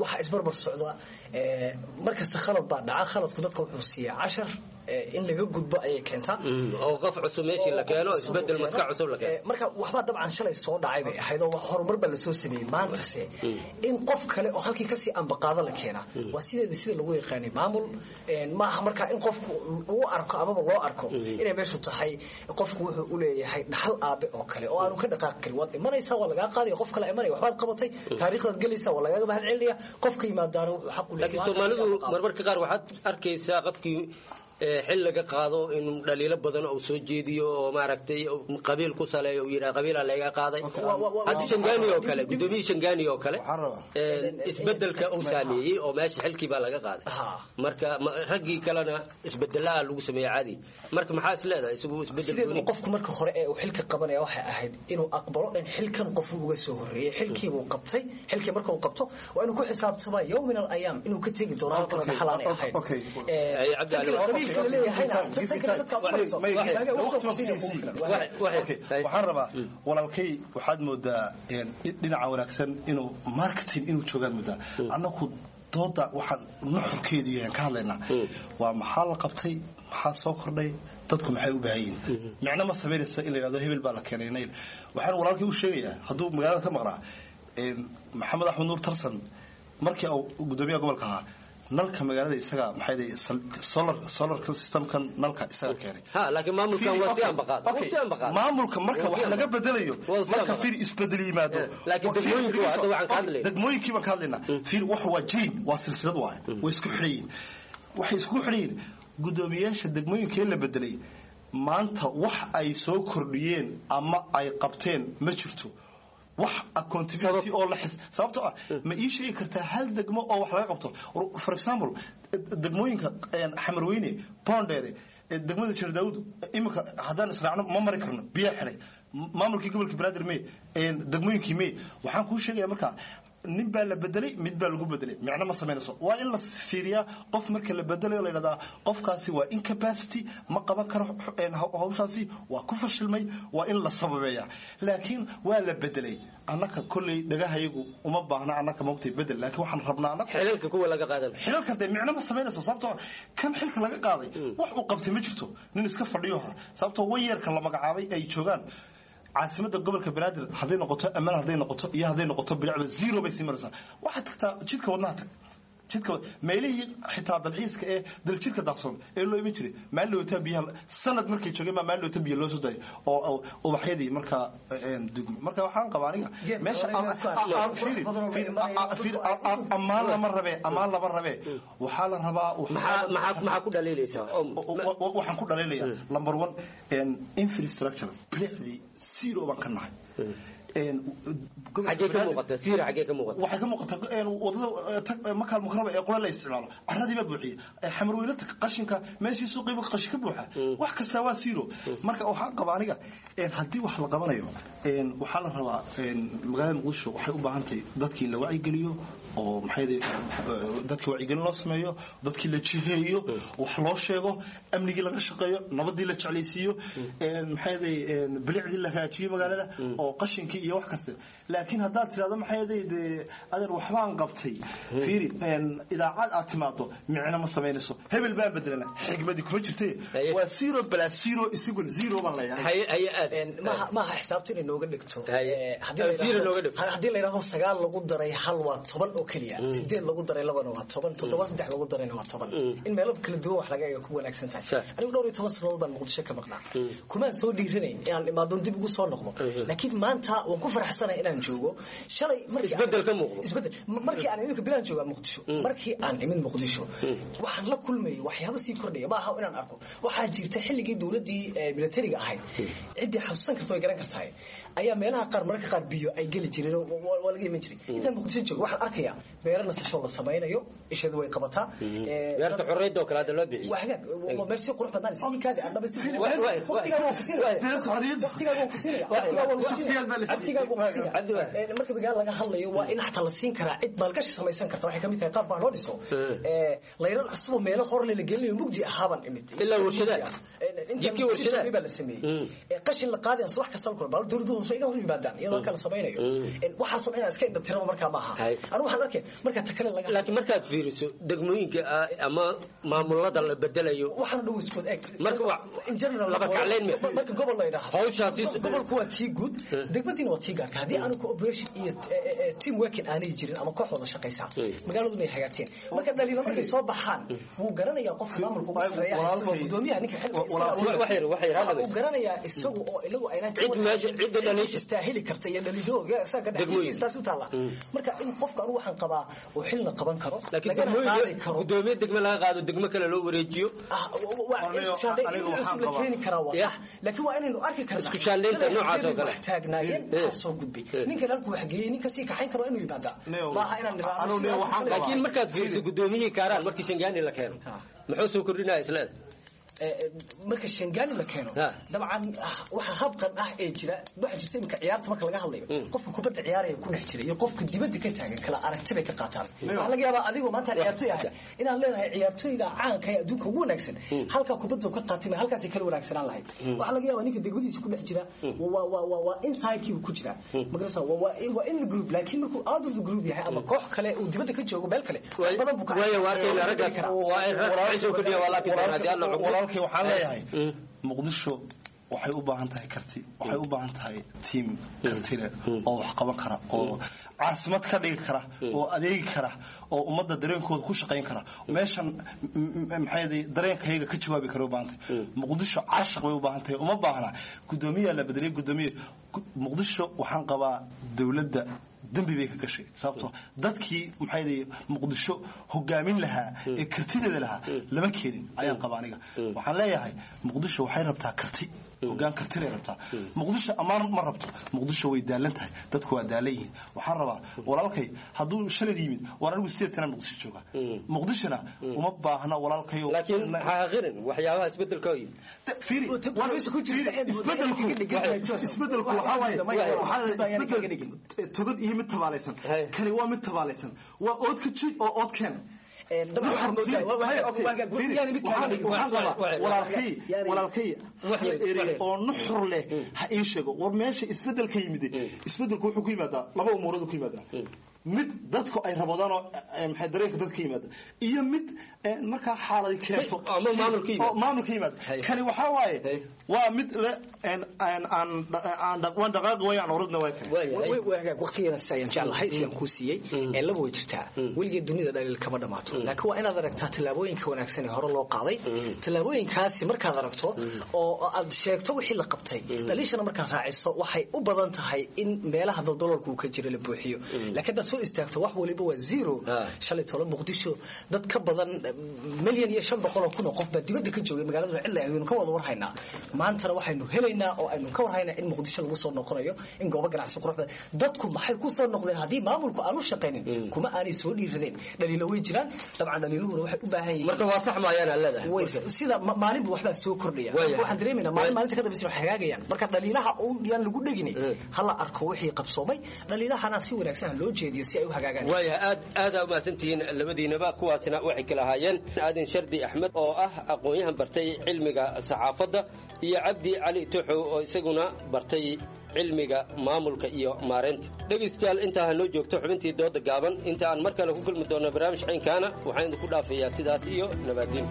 waxaa isbarbar socda markasta khalad baa dhaca. Khaladku dadka wuxuu siiyaa cashar in laga gudbo ayay keentaa oo qof cusub meeshii la keeno, isbedel maskax cusub la keeno. Marka waxbaa dabcan shalay soo dhacay bay ahayd oo horumar baa lasoo sameeyey. Maantase in qof kale oo halkii kasii ambaqaado la keenaa waa sideeda sida lagu yaqaanay maamul maaha. Marka in qofku uu arko amaba loo arko inay meeshu tahay qofku wuxuu u leeyahay dhaxal aabe oo kale oo aanu ka dhaqaaqi karin. Waad imanaysaa, waa lagaa qaadaya, qof kale imanaya, waxbaad qabatay, taariikhdaad gelaysaa, waa lagaaga mahad celinaya. Qofka yimaadaana wuxuu xaq u leeyahay. Laakiin Soomaalidu marmarka qaar waxaad arkaysaa qofkii xil laga qaado in dhaliilo badan uu soo jeediyo oo maaragtay qabiil ku saleeyo, uu yidhaha qabiilaa laga qaaday. Hadda Shangaani oo kale, gudoomiyihii Shangaani oo kale isbedelka uu saameeyey oo meesha xilkii baa laga qaaday. Marka raggii kalena isbedelaa lagu sameeyey caadi. Marka maxaa is leedahay isagu isbedel gooni? Qofku marka hore ee uu xilka qabanaya waxay ahayd inuu aqbalo in xilkan qof uga soo horreeyey, xilkiibuu qabtay. Xilkii marka uu qabto waa inuu ku xisaabtamaa yow min alayaam inuu ka tegi doono halkan dhaxal aanay ahayn. Waxaan rabaa walaalkay, waxaad moodaa dhinaca wanaagsan inuu marketing inuu joogaan moodaa. Annaku dooda waxaan nuxurkeedu yahan ka hadlaynaa waa maxaa la qabtay, maxaa soo kordhay, dadku maxay u baahan yihiin. Micno ma samaynaysa in la yidhahdo hebel baa la keenay nayl. Waxaan walaalkay u sheegayaa hadduu magaalada ka maqnaa Maxamed Axmed Nuur Tarsan markii uu gudoomiyaha gobolka ahaa nalka magaalada isaga maxay solar solar systemkan nalka isaga keenay. Ha, laakiin maamulkan waa si ambaqaad, waa si ambaqaad. Maamulka marka wax laga bedelayo marka fiir isbedel yimaado. Laakiin degmooyinku waa hadda waxaan ka hadlaynaa degmooyinkii baan ka hadlaynaa. Fiir wax waa jain, waa silsilad waaye, way isku xidhayiin, waxay isku xidhayiin gudoomiyaasha degmooyinkee la bedelay. Maanta wax ay soo kordhiyeen ama ay qabteen ma jirto wax accountability oo la xis. Sababtoo ah ma ii sheegi kartaa hal degmo oo wax laga qabto? For example degmooyinka Xamarweyne, Boondheere, degmada Jeer Daawud, iminka haddaan israacno ma mari karno, biyaa xidhay. Maamulkii gobolka Banaadir mee? Degmooyinkii mee? Waxaan kuu sheegaya markaa, nin baa la bedelay, mid baa lagu bedelay, micno ma samaynayso. Waa in la fiiriyaa qof marka la bedelayo, la yidhahdaa qofkaasi waa incapacity, ma qaban karo hawshaasi, waa ku fashilmay, waa in la sababeeyaa. Laakiin waa la bedelay, annaka kolley dhagahayagu uma baahna annaka maogtay bedel, laakiin waxaan rabnaa annaka xilalka kuwa laga qaadan. Xilalka dee micno ma samaynayso, sababtoo kan xilka laga qaaday wax uu qabtay ma jirto, nin iska fadhiyo. Sababtoo wanyeerka la magacaabay ay joogaan caasimada gobolka Banaadir, hadday noqoto ammaan, hadday noqoto iyo hadday noqoto bilicba, zero bay sii maraysaa. Waxaad tagtaa jidka wadnaha, tag jidka, meelihii xitaa dalxiiska ee daljirka daaqsoon ee loo iman jiray, maalin dhawata biyaha, sanad markay joogeen baa maalin dhawata biyo loo soo daayay oo ubaxyadii markaa dugmay. Marka waxaan qabaa aniga meesha ammaan lama rabe, ammaan lama rabe, waxaa la rabaa. Maxaa ku dhaliilaysaa? Waxaan ku dhaliilayaa number one, infrastructure, bilicdii zero baan ka nahay. Xagee ka muuqata siira? Xagee ka muuqata? Waxay ka muuqataa wadada Makaal Mukaraba ee qole la isticmaalo, carradii baa buuxiyey. Xamarweyne tag, qashinka meeshii suuqiiba qashin ka buuxa, wax kastaa waa zero. Marka waxaan qabaa aniga, haddii wax la qabanayo, waxaa la rabaa magaalada Muqdisho waxay u baahan tahay dadkii in la wacyigeliyo oo maxay dadkii wacyigelin loo sameeyo, dadkii la jiheeyo, wax loo sheego, amnigii laga shaqeeyo, nabadii la jeclaysiiyo, maxay bilicdii la hagaajiyo magaalada oo qashinkii iyo wax kasta. Laakiin haddaad tidhahdo maxay dee adeer waxbaan qabtay, fiiri idaacad aad timaado, micno ma samaynayso. Hebel baan bedelana, xigmadii kuma jirte, waa zero plus zero is equal zero baan leeyahay. Maaha xisaabta inay nooga dhigto. Haddii la yidhahdo sagaal lagu daray hal waa toban oo keliya, sideed lagu daray labana waa toban, toddoba saddex lagu darayna waa toban, in meelo kala duwan wax laga eega ku wanaagsan tahay. Anigu dhowr iyo toban sannadood baan Muqdisho ka maqnaa, kumaan soo dhiiranayn inaan imaadon dib ugu soo noqdo, laakiin maanta waan ku faraxsanahay inaan joogo. Shalay isbedel ka muuqdo. Isbedel markii aan idinka bilaan joogaa Muqdisho, markii aan imid Muqdisho waxaan la kulmayay waxyaabo sii kordhaya. Ma aha inaan arko, waxaa jirta xilligii dowladdii militariga ahayd, ciddii xasuusan karta way garan kartahay, ayaa meelaha qaar mararka qaar biyo ay geli jireen, waa laga iman jiray. Intaan Muqdisho joogo waxaan arkayaa beero nasasho la samaynayo, ishadu way qabataa. Beerta xorriyadda oo kale hadda loo bixiyey. Waa hagaag, waa meel si qurux badnaan sidii aan dhamaystirnay. Waqtigaa waan ku siinaya, waqtigaa waan ku siinaya, waqtigaa waan ku siinaya. Marka magaalo laga hadlayo waa in xataa la siin karaa cid maalgashi samaysan karta. Waxay kamid tahay qaab baa loo dhiso layrad cusub oo meelo horle la gelinayo, mugdi ahaaban imid. Ilaa warshadaha, jidkii warshadaha baa la sameeyey, qashin la qaaday, wax kasta la kulma, dowladdu hoose iga hor yimaadaan iyadoo kala samaynayo waxaasoo inaan iska indhatiraba. Markaa maaha, anigu waxaan arkay marka ta kale laga laakiin markaad fiiriso degmooyinka ama maamulada la bedelayo waxaan dhow iskood eg. Marka in general laba kacleyn me marka gobol la yidhaahdo hawshaasi gobolku waa tii guud, degmadiina waa tii gaarka. Haddii aanu cooperation iyo team working aanay jirin ama koox wada shaqaysaa, magaaladu may hagaagteen. Marka dhaliilo markay soo baxaan wuu garanayaa qofka maamulka ugu sarreeya haysta, waa gudoomiyaha ninka xilka uu garanayaa isagu oo inagu aynaan cid meesha cidda dhaliisha istaahili karta iyo dhaliisho isaga ka dhex taas u taala. Marka in qofka anigu waxaan qabaa uu xilna qaban karo, laakiin degmooyinka gudoomiye degme laga qaado degmo kale loo wareejiyo cusub la keeni karaa waa sax, laakiin waa inaynu arki karnaa isku shaandhaynta noocaas oo kale. Wax taagnaayeen waxaa soo gudbay ninkan halkuu wax geeyey, ninka sii kaxayn karo inuu yimaadaa, maaha inaan niraahdo. Laakiin markaad fiiriso gudoomiyihii Kaaraan markii Shangaani la keeno muxuu soo kordhinaya isleeda? Marka Shangaani la keeno dabcan waxa habqan ah ee jira, waxa jirta iminka ciyaarta marka laga hadlayo, qofka kubadda ciyaaraya ku dhex jira iyo qofka dibadda ka taagan kala aragti bay ka qaataan. Waxaa laga yaabaa adigoo maanta ciyaartoy ahay inaad leedahay ciyaartoyda caanka ee adduunka ugu wanaagsan halkaa kubadda ka qaatay ma halkaasay kala wanaagsanaan lahayd. Waxaa laga yaabaa ninka degmadiisa ku dhex jira waa waa waa waa inside-kiibu ku jira magarasa, waa waa in the group, laakiin markuu out of the group yahay ama koox kale uu dibadda ka joogo meel kale badan buu ka waayo waa arkayna raggaas waa in rag waxay soo kordhiya waa laakiin haddii alla xukumo. Walaalkay waxaan leeyahay Muqdisho waxay u baahan tahay karti, waxay u baahan tahay tiim karti leh oo wax qaban kara oo caasimad ka dhigi kara oo adeegi kara oo ummadda dareenkooda ku shaqayn kara, meeshan maxay dareenkayaga ka jawaabi kara u baahan tahay. Muqdisho caashiq bay u baahan tahay, uma baahna gudoomiyaa la bedelay gudoomiye. Muqdisho waxaan qabaa dowladda dembi bay ka gashay, sababtoo dadkii maxay Muqdisho hogaamin lahaa ee kartideeda lahaa lama keenin ayaan qabaa aniga. Waxaan leeyahay Muqdisho waxay rabtaa karti, Hogaan kartilay rabtaa Muqdisho. Ammaan ma rabto Muqdisho, way daalan tahay, dadku waa daalan yihiin. Waxaan rabaa walaalkay hadduu shalad yimid, waan anigu sideed sana Muqdisho jooga, Muqdishona uma baahna walaalkayo. Laakiin ha aqirin waxyaabaha isbedelka yimid. Isbedelku waxaa waaye isbedel togad iyo mid tabaalaysan. Kani waa mid tabaalaysan, waa ood ka jig oo ood keen. Walaalkay erey oo nuxur leh ha ii sheego. War meesha isbedelka yimid, isbedelku wuxuu ku yimaadaa laba umuurood ku yimaadaa: mid dadku ay raboodaan oo maxay dareenka dadka yimaada, iyo mid markaa xaaladi keento oo maamulka yimaada. Kani waxaa waaye waa mid le aan aan waan dhaqaaqi way aan orodna way kale. Waqtigeena si ayaan jeclahay si aan kuu siiyey ee laba way jirtaa. Weligeed dunida dhaliil kama dhamaato, laakiin waa inaad aragtaa tallaabooyinka wanaagsan ee hore loo qaaday. Tallaabooyinkaasi markaad aragto oo aad sheegto wixii la qabtay, dhaliishana markaad raaciso, waxay u badan tahay in meelaha daldaloolka uu ka jiro la buuxiyo. Laakiin haddaad soo istaagto wax waliba waa zero. Shalay tolo Muqdisho dad ka badan milyan iyo shan boqol oo kun oo qof baa dibadda ka joogay, magaalada cidla ayaynu ka wada warhaynaa. Maantana waxaynu helaynaa oo aynu ka warhaynaa in Muqdisho lagu soo noqonayo, in goobo ganacsi qurux badan. Dadku maxay ku soo noqdeen haddii maamulku aanu shaqaynin? Kuma aanay soo dhiiradeen. Dhaliilo way jiraan dabcan, dhaliiluhuna waxay u baahan yihiin. Marka waa sax maayaan aad leedahay? Sida maalinba waxbaa soo kordhaya. Waxaan dareemaynaa maalin maalinta ka dambaysa wax hagaagayaan. Marka dhaliilaha uun yaan lagu dhegin, hala arko wixii qabsoomay, dhaliilahana si wanaagsan ha loo jeediyo si ay u hagaagaan. Waayahay, aad aadaa umahadsantihiin labadiinaba. Kuwaasina waxay kala ahaayeen Aadan Shardi Axmed oo ah aqoon-yahan bartay cilmiga saxaafadda, iyo Cabdi Cali Tuxow oo isaguna bartay cilmiga maamulka iyo maareynta. Dhegaystayaal, intaa ha noo joogto xubintii dooda gaaban. Inta aan mar kale ku kulmi doonno barnaamij caynkaana, waxaan idinku dhaafayaa sidaas iyo nabaadiin.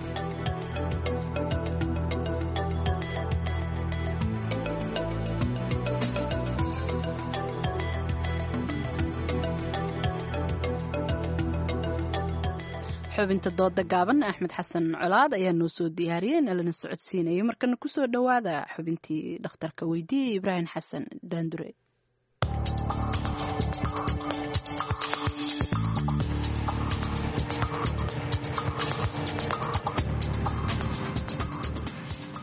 Xubinta dooda gaaban Axmed Xasan Colaad ayaa noo soo diyaariyey, nalana socodsiinayay. Markana kusoo dhowaada xubintii dhakhtarka weydiiyey Ibraahim Xasan Daandure.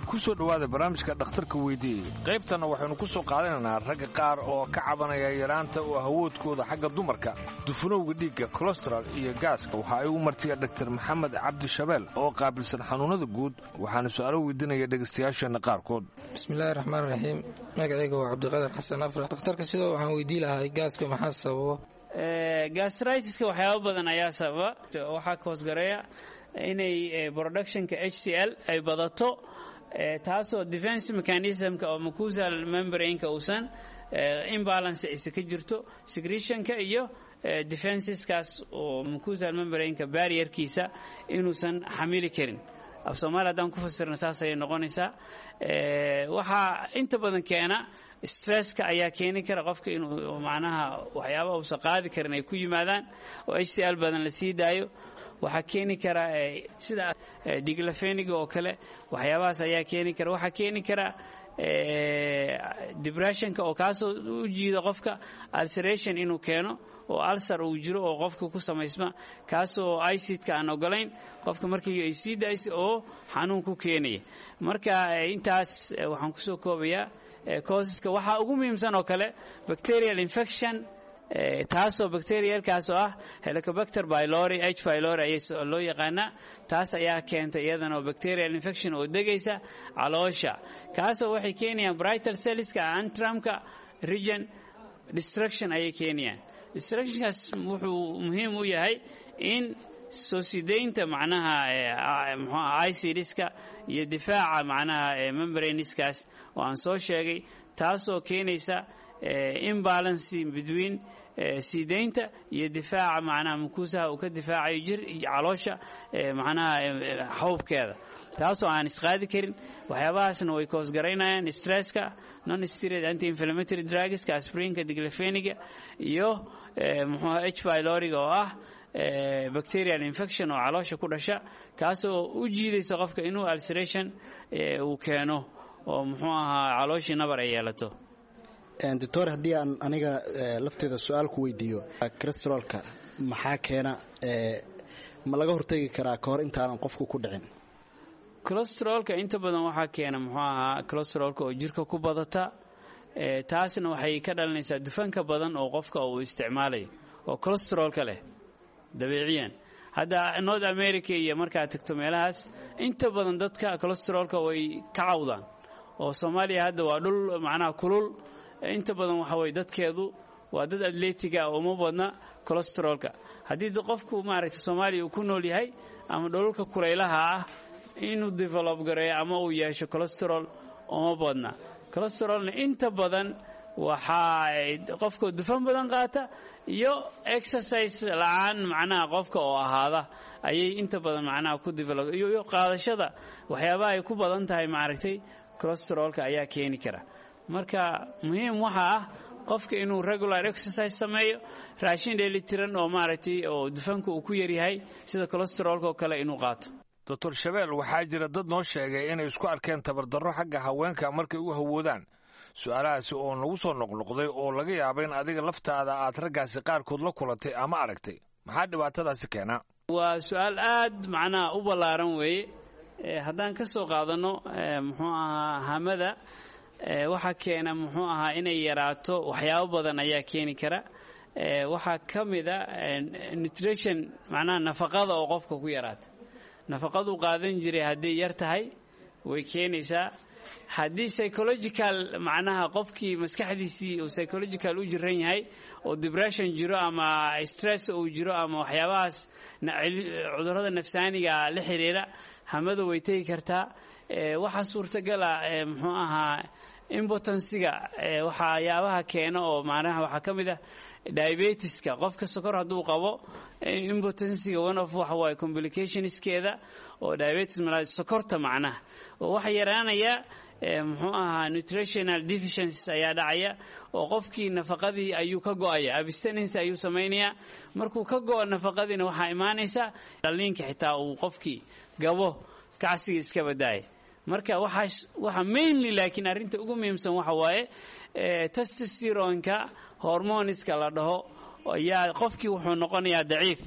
Kusoo dhowaada barnaamijka dhakhtarka weydiiyey. Qaybtanna waxaynu ku soo qaadanaynaa ragga qaar oo ka cabanaya yaraanta oo hawoodkooda xagga dumarka, dufunowga dhiigga, kolestral iyo gaaska. Waxa ay u martiya dhaktar Maxamed Cabdi Shabeel oo qaabilsan xanuunnada guud, waxaana su'aalo weydiinaya dhegaystayaasheenna qaarkood. Bismillaahi raxmaan raxiim. Magacayga waa Cabdiqadar Xasan Afrax. Dhakhtarka sidoo waxaan weydii lahay gaaska maxaa sababa? Gastritiska waxyaabo badan ayaa sababa. Waxaa ka hoosgareeya inay productionka H C L ay badato, taasoo defense mechanismka oo mucosal membrane-ka uusan imbalance aysa ka jirto, secretionka iyo defenseskaas oo mucosal membrane-ka barrierkiisa inuusan xamili karin. Af Soomaali haddaan ku fasirna saas ayay noqonaysaa. Waxaa inta badan keena stresska ayaa keeni kara qofka inuu macnaha waxyaaba uusan qaadi karin ay ku yimaadaan oo H C L badan la sii daayo. Waxaa keeni kara sida diglafeniga oo kale, waxyaabahaas ayaa keeni kara. Waxaa keeni kara depressionka oo kaasoo u jiida qofka ulceration inuu keeno, oo ulcer uu jiro oo qofka ku samaysma, kaasoo icidka aan ogolayn qofka markii ay sii daayso oo xanuun ku keenaya. Marka intaas waxaan kusoo koobayaa causeska. Waxaa ugu muhiimsan oo kale bacterial infection, taasoo bacterialkaas oo ah Helicobacter pylori, H pylori ayay loo yaqaanaa. Taas ayaa keenta iyadana oo bacterial infection oo degaysa caloosha, kaasoo waxay keenayaan parietal cellska antramka region destruction ayay keenayaan. Destructionkaas wuxuu muhiim u yahay in soo sideynta macnaha muxuu icidska iyo difaaca macnaha membraneskaas oo aan soo sheegay, taasoo keenaysa imbalance between siideynta iyo difaaca macnaha mukuusaha uu ka difaacayo jir caloosha macnaha xawbkeeda, taasoo aan isqaadi karin. Waxyaabahaasna way koosgaraynayaan stresska, non steroid anti inflammatory drugska, aspirinka, diglafeniga iyo muxuu H pyloriga oo ah bacterial infection oo caloosha ku dhasha, kaasoo u jiidaysa qofka inuu ulceration uu keeno oo muxuu ahaa calooshii nabar ay yeelato. Doctor, haddii aan aniga lafteeda su-aal ku weydiiyo, calesterolka maxaa keena? Ma laga hortegi karaa ka hor intaanan qofku ku dhicin? Cholesterolka inta badan waxaa keena muxuu ahaa cholesterolka oo jirka ku badata, taasna waxay ka dhalinaysaa dufanka badan oo qofka uu isticmaalayo oo cholesterolka leh dabiiciyan. Hadda North America iyo markaad tagto meelahaas, inta badan dadka cholesterolka way ka cawdaan, oo Soomaaliya hadda waa dhul macnaha kulul, inta badan waxa weye dadkeedu waa dad atletiga oo uma badna cholesterolka. Haddii qofku maaragtay Soomaaliya uu ku nool yahay ama dhulalka kulaylaha ah, inuu develop gareeyo ama uu yeesho cholesterol uma badna. Cholesterolna inta badan waxaa qofka dufan badan qaata iyo exercise la-aan macnaha qofka oo ahaada ayay inta badan macnaha ku develop, iyo qaadashada waxyaabaha ay ku badan tahay maaragtay cholesterolka ayaa keeni kara. Marka muhiim waxaa ah qofka inuu regular exercise sameeyo, raashin dheelitiran oo maaragtay oo dufanka uu ku yaryahay sida cholesterolka oo kale inuu qaato. Doctor Shabeel, waxaa jira dad noo sheegay inay isku arkeen tabardarro xagga haweenka markay u hawoodaan, su-aalahaasi oo nagu soo noqnoqday oo laga yaaba in adiga laftaada aad raggaasi qaarkood la kulantay ama aragtay. Maxaa dhibaatadaasi keenaa? Waa su-aal aad macnaha u ballaaran weeye. Haddaan ka soo qaadanno muxuu ahaa hamada, waxaa keena muxuu ahaa inay yaraato waxyaabo badan ayaa keeni kara. Waxaa ka mid a nutrition, macnaha nafaqada oo qofka ku yaraata. Nafaqaduu qaadan jiray hadday yar tahay way keenaysaa. Haddii psychological macnaha qofkii maskaxdiisii uu psychological u jiran yahay oo depression jiro ama stress uu jiro ama waxyaabahaas cudurrada nafsaaniga la xiriira, hamada way tegi kartaa. Waxaa suurtagala muxuu ahaa impotensiga, waxyaabaha keena oo macnaha waxaa ka mid ah diabetiska. Qofka sokor hadduu qabo, impotensiga one of waxa waaye complicationskeeda oo diabetes mellitus, sokorta macnaha, oo waxa yaraanaya muxuu ahaa nutritional deficiencies ayaa dhacaya, oo qofkii nafaqadii ayuu ka go'aya, abstinence ayuu samaynayaa. Markuu ka go'o nafaqadiina, waxaa imaanaysa dhaliinka xitaa uu qofkii gabo, kacsiga iska badaaya. Marka waxaa waxa mainly, laakiin arrinta ugu muhiimsan waxa waaye testosteronka, hormoniska la dhaho, ayaa qofkii wuxuu noqonayaa daciif.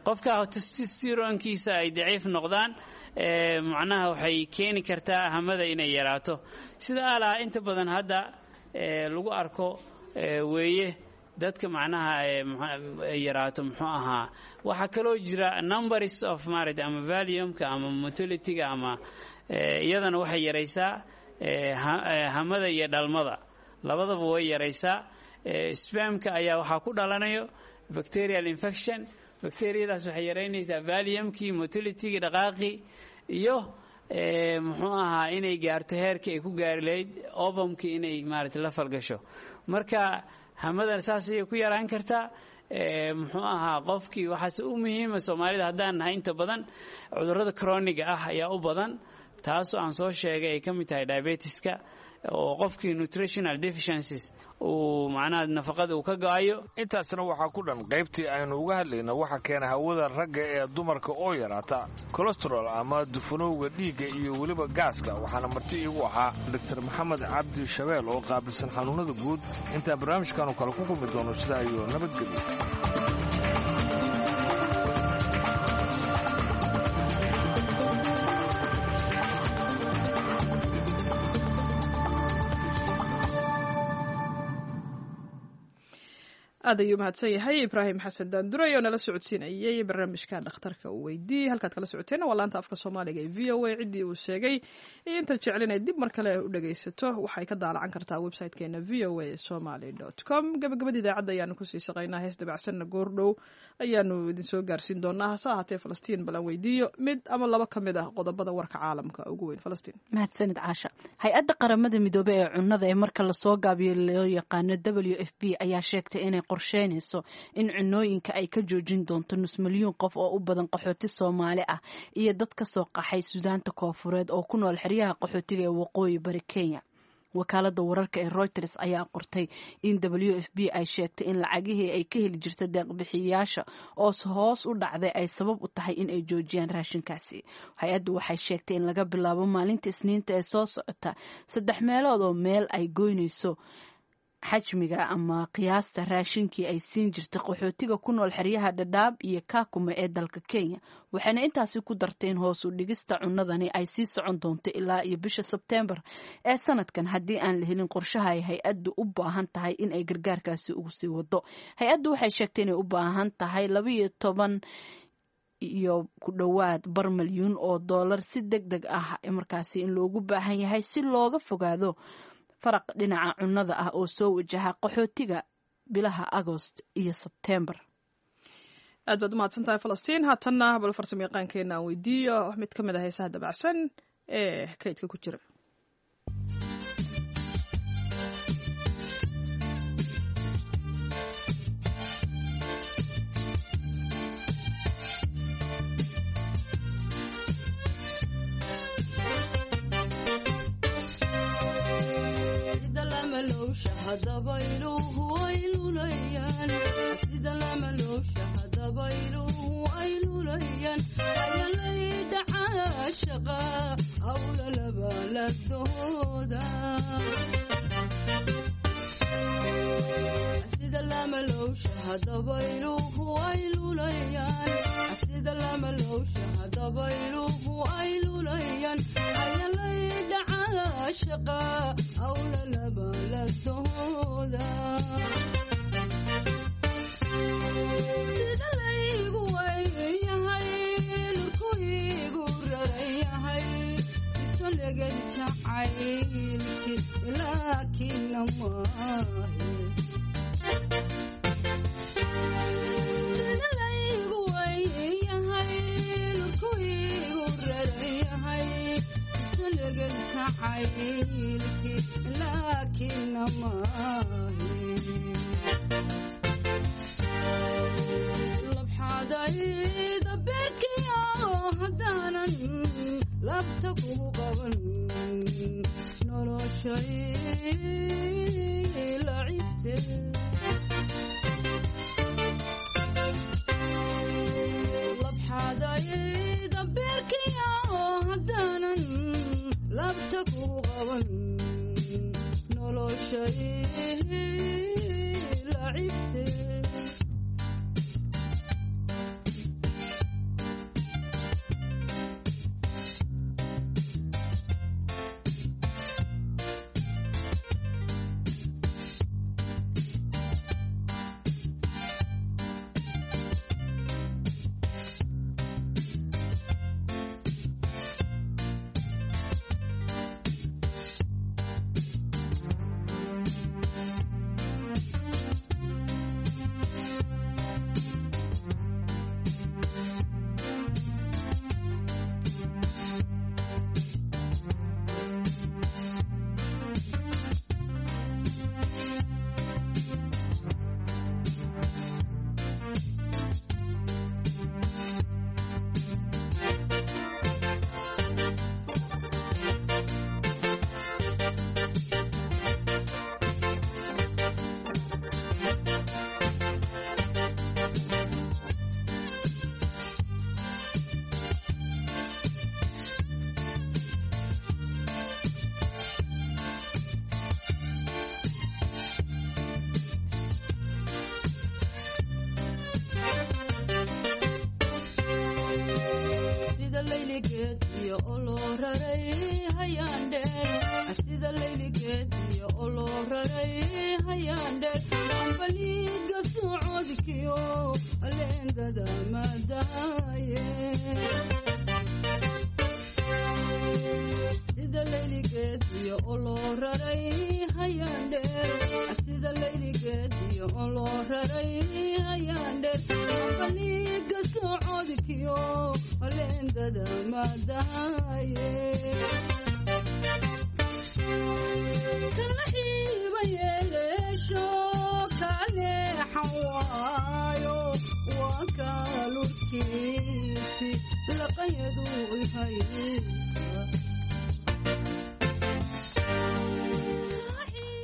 Qofka testosteronkiisa ay daciif noqdaan, macnaha waxay keeni kartaa hamada inay yaraato, sida alaha inta badan hadda lagu arko weeye dadka macnaha yaraato muxuu ahaa. Waxaa kaloo jira numbers of maaragtay ama volume-ka ama motility-ga, ama iyadana waxay yaraysaa hamada iyo dhalmada, labadaba way yaraysaa. Spermka ayaa waxaa ku dhalanayo bacterial infection. Bacteriyadaas waxay yaraynaysaa volume-kii, motility-gii, dhaqaaqii iyo muxuu ahaa inay gaarto heerkii ay ku gaari lahayd ovumkii inay maaragtay la falgasho. Marka hamadan saas ayay ku yaraan kartaa muxuu ahaa qofkii. Waxaase u muhiima, Soomaalida haddaan nahay, inta badan cudurrada chroniga ah ayaa u badan, taasoo aan soo sheegay ay ka mid tahay diabetiska, oo qofkii nutritional deficiencies uu macnaha nafaqada uu ka go'ayo. Intaasna waxaa ku dhan qaybtii aynu uga hadlayna waxa keena hawada ragga ee dumarka oo yaraata, cholesterol ama dufanowga dhiigga iyo weliba gaaska. Waxaana marti iigu ahaa Doctor Maxamed Cabdi Shabeel oo qaabilsan xanuunada guud. Intaan barnaamijkaanu kale ku kulmi doono, sidaa iyo nabadgelyo. Aad ayuu mahadsan yahay Ibraahim Xasan Daanduray oo nala socodsiinayay barnaamijka Dhakhtarka uu weydiiyey. Halkaad kala socoteen waa laanta afka Soomaaliga ee V O A. Ciddii uu sheegay iyo intaad jecel inay dib mar kale u dhagaysato, waxay ka daalacan kartaa website-keena V O A Somaly com. Gabagabada idaacadda ayaanu kusii shaqaynaa, hees dabacsanna goordhow ayaanu idinsoo gaarsiin doonaa. Hase ahaatee Falastiin balan weydiiyo mid ama laba ka mid ah qodobada warka caalamka ugu weyn. Falastiin. Mahadsanid, Caasha. Hay-adda Qaramada Midoobey ee cunnada ee marka lasoo gaabiyo loo yaqaano W F P ayaa sheegtay inay qorsheynayso in cunooyinka ay ka joojin doonto nus milyuun qof oo u badan qaxooti Soomaali ah iyo dad ka soo qaxay Suudaanta Koofureed oo ku nool xeryaha qaxootiga ee waqooyi bari Kenya. Wakaalada wararka ee Reuters ayaa qortay in W F P ay sheegtay in lacagihii ay ka heli jirta deeqbixiyayaasha oo hoos u dhacday ay sabab u tahay in ay joojiyaan raashinkaasi. Hay-addu waxay sheegtay in laga bilaabo maalinta Isniinta ee soo socota saddex meelood oo meel ay goynayso. Xajmiga ama qiyaasta raashinkii ay siin jirtay qaxootiga ku nool xeryaha Dhadhaab iyo Kaakuma ee dalka Kenya, waxayna intaasi ku dartay in hoos u dhigista cunadani ay sii socon doonto ilaa iyo bisha Sebteembar ee sanadkan haddii aan la helin qorshaha ay hay-addu u baahan tahay in ay gargaarkaasi ugu sii wado. Hay-addu waxay sheegtay inay u baahan tahay labaiyo toban iyo ku dhowaad bar malyuun oo doolar si deg deg ah markaasi in loogu baahan yahay si looga fogaado faraq dhinaca cunnada ah oo soo wajaha qaxootiga bilaha Agost iyo Sebteembar. Aad baad umahadsan tahay, Falastiin. Haatanna bal farsamo yaqaankeena aan weydiiyo mid ka mid ah heesaha dabacsan ee kaydka ku jira.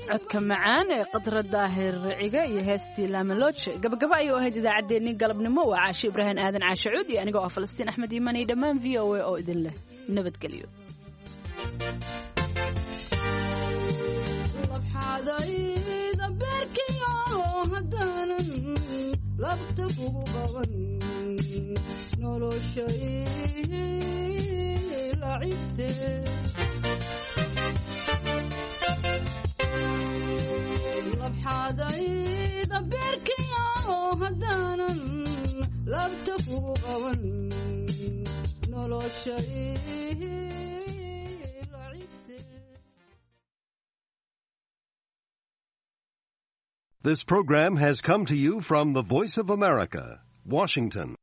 Codka macaan ee Qadra Daahir Riciga iyo heestii Laamalooje gabagaba ayuu ahayd idaacaddeenii galabnimo. Waa Caashe Ibraahim Aadan Caashe Cuud iyo anigoo ah Falastiin Axmed Iimaan iyo dhammaan V O A oo idin leh nabadgelyo. Haddaanan labta kugu qaban noloshay lacibte. Labxaadayda beerkiyo haddaanan labta kugu qaban noloshay. This program has come to you from the Voice of America, Washington.